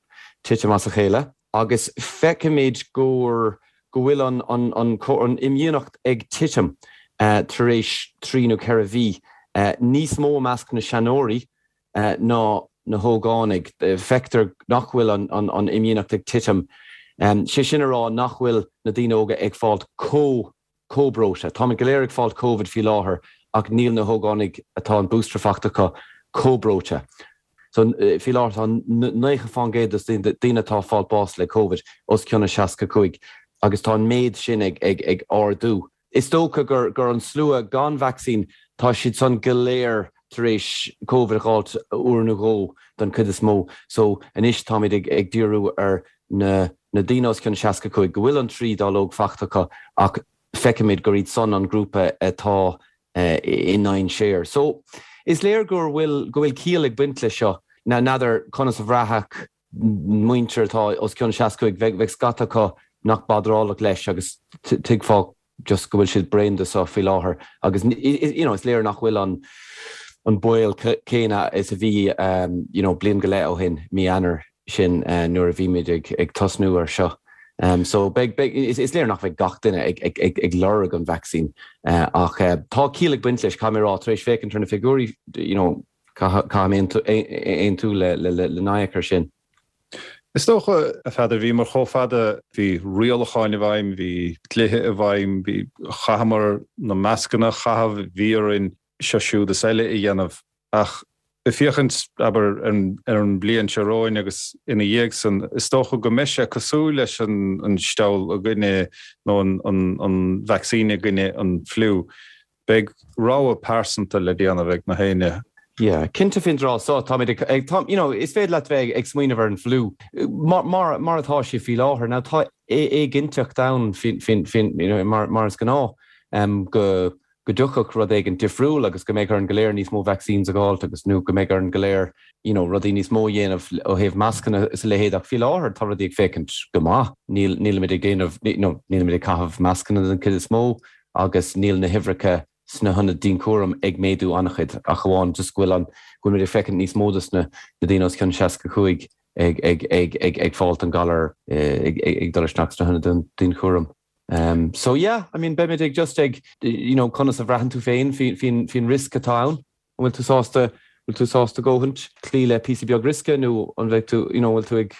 titim as a chéile. agus feicimid gur go bhfuil an an an imdhíonacht ag titim tar éis trí nó ceithre mhí, níos mó i measc na seanóirí ná na hógánaigh. Feictear nach bhfuil an an imdhíonacht ag titim, sé sin a rá nach bhfuil na daoine óga ag fáilt chomh chomh breoite. Táimid go léir ag fáilt Covid faoi láthair ach níl na hógánaigh atá an booster fachta acu chomh breoite. So, faoi láthair tá 90% dos daoine atá ag fáilt bás le Covid os cionn a 65 agus tá an méid sin ag ag ag ardú. Is dócha gur gur an slua gan vacsaín, tá siad san go léir tar éis Covid a dh'fháilt uair nó dhó don chuid is mó. So, anois táimid ag ag díriú ar na na daoine os cionn 65 go bhfuil an trí dáileog fachta acu ach feicimid gur iad san an grúpa atá i ndainséar. So, is léir gur bhfuil, go bhfuil ciall ag baint leis seo. Now, n'fheadar conas a bhraithfeadh muintir atá os cionn 65, bheadh, bheadh scata acu nach badrálach leis agus tuigfeá just go bhfuil siad bréan de seo faoi láthair agus you know is léir nach bhfuil an an baol céanna is a bhí you know bliain go leith ó shin, mí Eanáir sin nuair a bhí muid ag ag tosnú ar seo. So beidh, beidh, is léir nach bheidh gach duine ag, ag, ag, ag lorg an vacsaín ach tá ciall ag baint leis, caithfidh mé a rá, tar éis féachaint ar na figiúirí, you know, caithfidh mé aontú le, le, le Nayak ar sin. Is dócha, a Pheadair, bhíomar chomh fada, bhí rialacháin i bhfeidhm, bhí dlíthe i bhfeidhm, bhí, chaitheamar na mascanna a chaitheamh, bhí orainn seo siúd is eile a dhéanamh. Ach ag féachaint, abair, ar an mbliain seo romhainn agus ina dhiaidh san, is dócha go mbeidh sé cosúil leis an steall i gcoinne, nó an vacsaín i gcoinne an fliú. Beidh rogha pearsanta le déanamh ag na héinne. Yeah, cinnte faoin dtráth so, táimid ag, ag, tá, you know, is féidir leat bheith ag smaoineamh ar an fliú mar, mar, mar atá sé faoi láthair. Now tá éiginnteacht ann faoin, faoin, faoin, you know, mar, mar is gnáth, um, go, go dtiocfadh rud éigin difriúil agus go mbeidh orainn go léir níos mó vaccines a dh'fháilt agus, nó go mbeidh orainn go léir, you know, rudaí níos mó a dhéanamh ó thaobh mascanna is a leithéid ach faoi láthair tá rudaí ag féachaint go maith. Níl, nílimid ag déanamh, you know, nílimid ag caitheamh mascanna den chuid is mó agus níl na huimhreacha sna hionaid dianchúraim ag méadú an-chuid, ach amháin just go bhfuil an, go bhfuil muid ag féachaint níos mó dos na daoine os cionn 65 ag, ag, ag, ag, ag fáilt an galar, ag, ag dul isteach sna hionaid dianchúraim. So yeah, I mean beimid ag just ag, you know, conas a bhraitheann tú féin faoin, faoin, faoin riosca atá ann. An bhfuil tú sásta, bhfuil tú sásta góthaint, cloí le píosa beag riosca nó an bheidh tú, you know, bhfuil tú ag,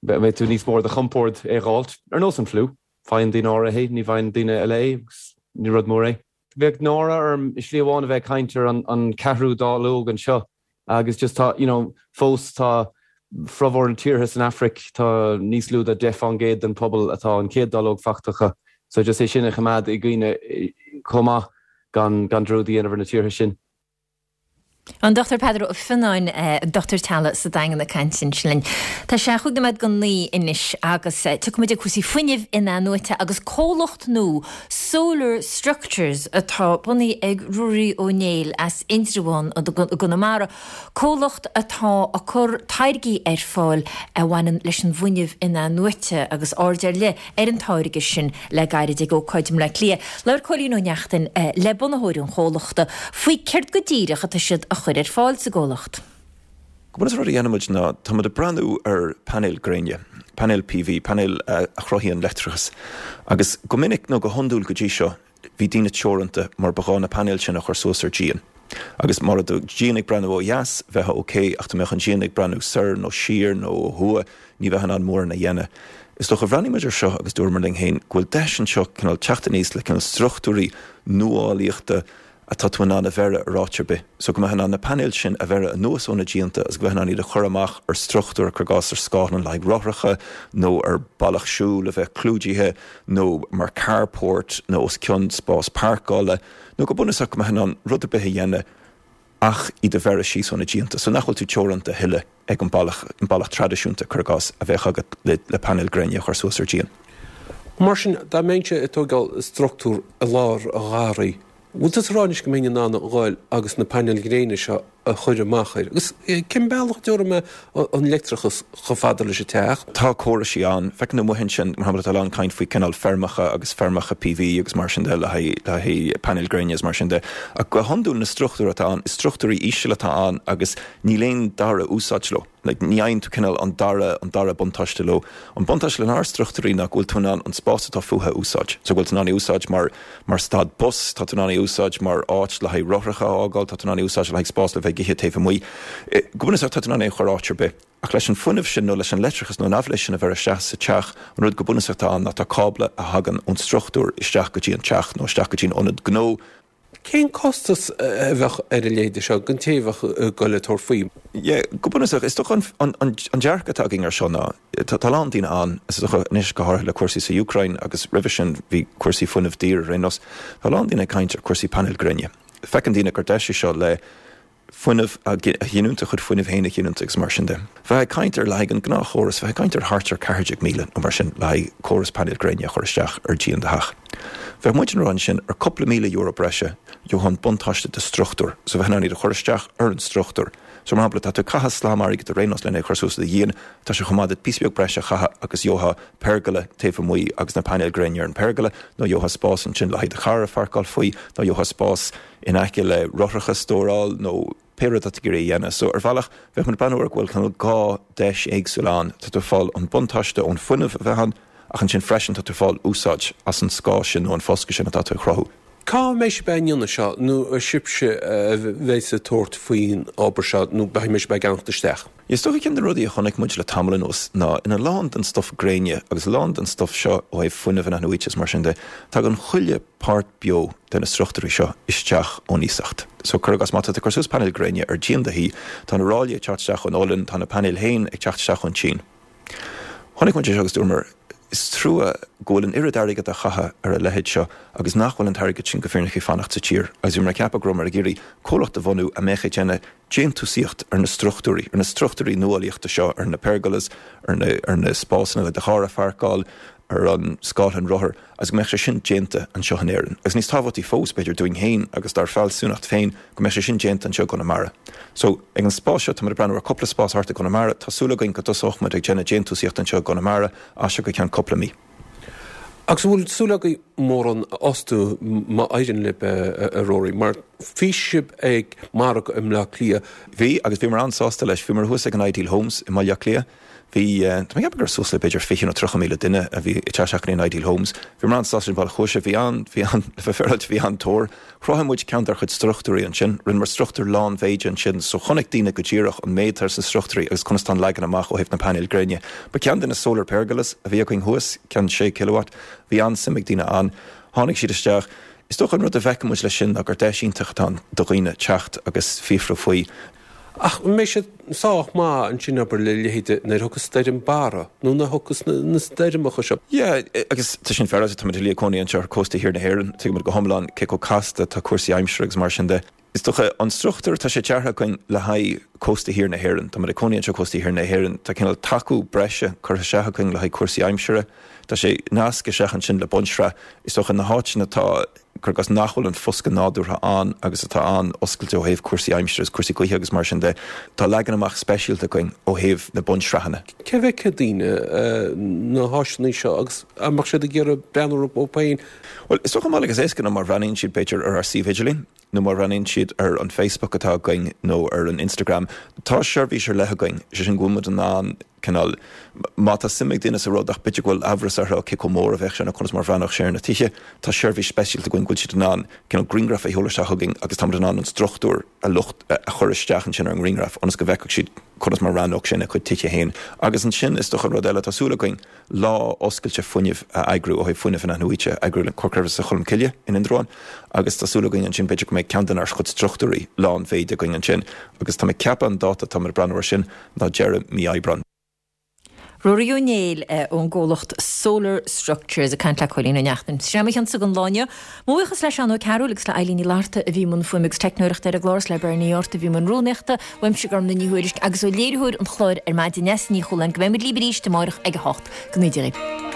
mbeidh tú níos mó ar do chompord é dh'fháilt? Ar nós an fliú. Faigheann daoine áirithe é, ní bhfaigheann daoine eile é agus ní rud mór é. Bheadh náire orm i slí amháin a bheith ag caint ar an ceathrú dáileog anseo agus just tá, you know, fós tá formhór na tíortha san Afraic, tá níos lú de 10 fán gcéad den pobal atá an chéad dáileog faighte acu. So just é sin a choimeád i gcuimhne chomh maith gan gan dearúd a dhéanamh ar na tíortha sin. An Dr Peadar Ó Fionnáin, dochtúir teaghlaigh sa Daingean ag caint ansin linn. Tá sé chúig nóiméad go 9 anois agus tiocfaidh muid ag cúrsaí fuinnimh in-athnuaite agus comhlacht nua Solar Structures atá bunaithe ag Ruairí Ó Néill as Indreabhán i gConamara, comhlacht atá ag cur táirgí ar fáil a bhaineann leis an bhfuinneamh in-athnuaite agus aird ar leith ar an táirge sin le gairid ag ócáid i mBleá Cliath. Labhair Cóilín Ó Neachtain le bunaitheoir an chomhlachta faoi céard go díreach atá siad a chur ar fáil sa gcomhlacht. Go bunúsach rud a dhéanaimid ná táimid ag breathnú ar painéil gréine, painéil PV, painéil a chruthaíonn leictreachas agus go minic nó go hiondúil go dtí seo bhí daoine teoranta mar ba ghá na painéil sin a chur suas ar díon. Agus má raibh do dhíon ag breathnú ó dheas, bheifeá ok, ach dá mbeadh an díon ag breathnú soir nó siar nó ó thuaidh, ní bheifeá in ann mórán a dhéanamh. Is dócha, bhreathnaigh muid ar seo agus dúramar linn féin go bhfuil deis anseo cineál teacht aníos le cineál struchtúirí nuálaíochta atá tú in ann a bheireadh ar áit ar bith. So go mbeifeá in ann na painéil sin a bheireadh anuas ó na díonta agus go mbeifeá in ann iad a chur amach ar struchtúr, cuir i gcás ar scáthlann le haghaidh rothracha nó ar bealach siúil a bheith clúdaithe nó mar carport nó os cionn spás páirceála nó go bunúsach go mbeifeá in ann rud ar bith a dhéanamh ach iad a bheireadh síos ó na díonta so nach bhfuil tú teoranta a thuilleadh ag an bealach, an bealach traidisiúnta, cuir i gcás, a bheadh agat le, le painéil gréine a chur suas ar díon. Mar sin, dá mbeinnse ag tógáil struchtúr i lár an gharraí, bhfuil tusa ag rá anois go mbeinn in ann a ghoil agus na painéil ghréine seo a chur amach air? Agus cén bealach a dtabharfaidh mé an leictreachas chomh fada leis an teach? Tá córaisí ann. Feiceann tú amuigh ansin, mar shampla, tá a lán caint faoi cineál feirmeacha agus feirmeacha PV agus mar sin de le haghaidh, le haghaidh painéil gréine agus mar sin de. Ach go hiondúil na struchtúir atá ann, is struchtúirí íseal atá ann agus níl aon dara úsáid leo. Like, ní fhaigheann tú cineál an dara, an dara buntáiste leo. An buntáiste lenár struchtúirí ná go bhfuil tú in ann an spás atá fúthu a úsáid. So go bhfuil tú in ann é a úsáid mar, mar stad bus, tá tú in ann é a úsáid mar áit le haghaidh rothracha a fhágáil, tá tú in ann é a úsáid le haghaidh spás le bheith ag ithe taobh amuigh. Go bunúsach tá tú in ann é a chur áit ar bith. Ach leis an fuinneamh sin nó leis an leictreachas nó an aibhléis sin a bheir isteach sa teach, an rud go bunúsach atá ann ná tá cábla a thagann ón struchtúr isteach go dtí an teach nó isteach go dtí an ionad gnó Cén costas a bheadh ar a leithéide seo don té a bheadh ag goil ag tabhairt faoi? Yeah, go bunúsach, is dócha an an dearcadh atá againn ar seo ná, tá a lán daoine ann, is dócha anois go háirithe le cúrsaí sa Úcráin agus roimhe sin bhí cúrsaí fuinnimh daor ar aon nós, tá a lán daoine ag caint ar cúrsaí painéil gréine. Feiceann daoine gur deis é seo le fuinneamh a ghiniúint, a chuid fuinnimh féin a ghiniúint agus mar sin de. Bheifeá ag caint ar le haghaidh an gnáthchóras, bheifeá ag caint ar thart ar 14,000 nó mar sin le haghaidh córas painéil gréine a chur isteach ar dhíon do theach. Bheadh muid ag rá ansin ar cúpla €1,000 breise gheofá an buntáiste de struchtúr, so bheifeá in ann iad a chur isteach ar an struchtúr. So mar shampla, tá tú ag caitheamh slam airgid ar aon nós lena é a chur suas ar do dhíon, tá sé chomh maith duit píosa beag breise a chaitheamh agus gheofá pergola taobh amuigh agus na painéil gréine ar an pergola, nó gheofá spás ansin le haghaidh do charr a pháirceáil faoi, nó gheofá spás in aice le rothracha a stóráil nó pé rud atá tú ag iarraidh a dhéanamh. So, ar bhealach, bheadh muid ag breathnú ar go bhfuil cineál dhá deis éagsúil ann. Tá tú ag fáil an buntáiste ón fuinneamh a bheith ann. ach ansin freisin tá tú ag fáil úsáid as an scáth sin nó an foscadh sin atá tú ag chruthú. Cá mbeidh sibh á ndéanamh seo nó ar sibhse a bheidh ag tabhairt faoin obair seo nó beidh sibh ag ceannacht isteach? Is dócha ceann de na rudaí a chonaic muid le tamall anuas ná ina lán den stuif gréine agus a lán den stuif seo ó thaobh fuinneamh inathnuaite is mar sin de, tagann chuile páirt beo de na struchtúirí seo isteach ón iasacht. So cuir i gcás má tá tú ag cur suas painéil gréine ar díon do thí, tá na ráillí ag teacht isteach ón Ollainn, tá na painéil féin ag teacht isteach ón tSín. Chonaic muid é seo agus dúramar, is trua go bhfuil an oiread airgid á chaitheamh ar a leithéid seo agus nach bhfuil an t-airgead sin go fírinneach ag fanacht sa tír. Agus bhíomar ag ceapadh go rabhamar ag iarraidh comhlacht a bhunú a mbeadh ag déanamh déantúsaíocht ar na struchtúirí, ar na struchtúirí nuálaíochta seo, ar na pergolas, ar na, ar na spásanna le do charr a pháirceáil, ar an scáthlann rothar agus go mbeadh sé sin déanta anseo in Éirinn. Agus níos tábhachtaí fós, b'fhéidir, dúinn féin agus dár bhfealsúnacht féin, go mbeadh sé sin déanta anseo i gConamara. So, ag an spás seo, táimid ag breathnú ar cúpla spás thart i gConamara. Tá súil againn go dtosóidh muid ag déanamh déantúsaíocht anseo i gConamara as seo go ceann cúpla mí. Agus an bhfuil súil agaibh mórán a fhostú má éiríonn libh, a Rory, mar bhí sibh ag margadh i mBleá Cliath? Bhí, agus bhíomar an-sásta leis. Bhíomar thuas ag an Ideal Homes i mBaile Átha Cliath. Bhí, tá mé ag ceapadh go raibh suas le b'fhéidir 20 nó 30,000 duine a bhí ag teacht isteach go dtí an Ideal Homes. Bhíomar an-sásta leis an bhealach a chuaigh sé. Bhí an, bhí an, le bheith féaráilte, bhí an-tóir. Chruthaigh muid ceann dár chuid struchtúirí ansin. Rinneamar struchtúr lánmhéide ansin so chonaic daoine go díreach an méid atá sna struchtúirí agus conas tá an leagan amach ó thaobh na painéil gréine. Ba ceann de na solar pergolas a bhí againn thuas, ceann 6 kilowatt. Bhí an-suim ag daoine ann. Tháinig siad isteach. Is dócha an rud a bhfeiceann muid leis sin ná gur deis iontach atá ann do dhaoine teacht agus fiafrú faoi. Ach an mbeidh siad sách maith ansin abair le leithéide nuair a thiocfas stoirm Barra nó nuair a thiocfas na stoirmeacha seo? Yeah, agus tá sin féaráilte, táimid uilig ag cónaí anseo ar cósta thiar na hÉireann, tuigimid go hiomlán cé chomh casta atá cúrsaí aimsire agus mar sin de. Is dócha, an struchtúr, tá sé deartha againn le haghaidh cósta thiar na hÉireann, táimid ag cónaí anseo cósta thiar na hÉireann, tá cineál tacú breise curtha isteach againn le haghaidh cúrsaí aimsire, tá sé nasctha isteach ansin le bunsraith, is dócha na háiteanna atá, cuir i gcás nach bhfuil an foscadh nádúrtha ann agus atá an-oscailte ó thaobh cúrsaí aimsire agus cúrsaí gaoithe agus mar sin de, tá leagan amach speisialta againn ó thaobh na bunsraitheanna. Cé bhfeicfidh daoine na háiseanna seo agus an mbeadh siad ag iarraidh breathnú orthu féin? Bhuel, is dócha an bealach is éasca ná má bhreathnaíonn siad b'fhéidir ar ár suíomh idirlín nó má bhreathnaíonn siad ar an Facebook atá againn nó ar an Instagram, tá seirbhís ar leith againn, sé sin go bhfuil muid in ann cineál, má tá suim ag duine sa rud ach b'fhéidir go bhfuil amhras orthu cé chomh mór a bheadh sé nó conas mar a bhreathnódh sé ar na tithe, tá seirbhís speisialta againn go bhfuil siad in ann cineál grianghraf a sheoladh isteach chugainn agus táimid in ann an struchtúr a lucht a chur isteach ansin ar an ngrianghraf ionas go bhfeicfeadh siad conas mar a bhreathnódh sé ina gcuid tithe féin. Agus ansin is dócha an rud eile, tá súil againn lá oscailte fuinnimh a eagrú ó thaobh fuinneamh inathnuaite a eagrú le Comhar Creidmheasa Cholmcille in Indreabhán agus tá súil againn ansin b'fhéidir go mbeidh ceann denár chuid struchtúirí lánmhéide againn ansin agus tá mé ag ceapadh an dáta atáimid ag breathnú air sin ná deireadh mí Aibreáin. Ruairí Ó Néill ón gcomhlacht Solar Structures ag caint le Cóilín Ó Neachtain. Sin é mo chionsa don lá inniu. Mo bhuíochas le Seán Ó Cearúil agus le Eilín Ní Fhlatharta a bhí i mbun fuaime agus teicneoireachta ar an gclár is le Bernie Ort a bhí i mbun rúnaíochta, uaimse Gormlaith Ní Thuairisg agus ó léiritheoir an chláir ar maidin Neasa Ní Chualáin go mbeidh muid libh arís amárach ag a 8. Go ngnóthaí Dia dhaoibh.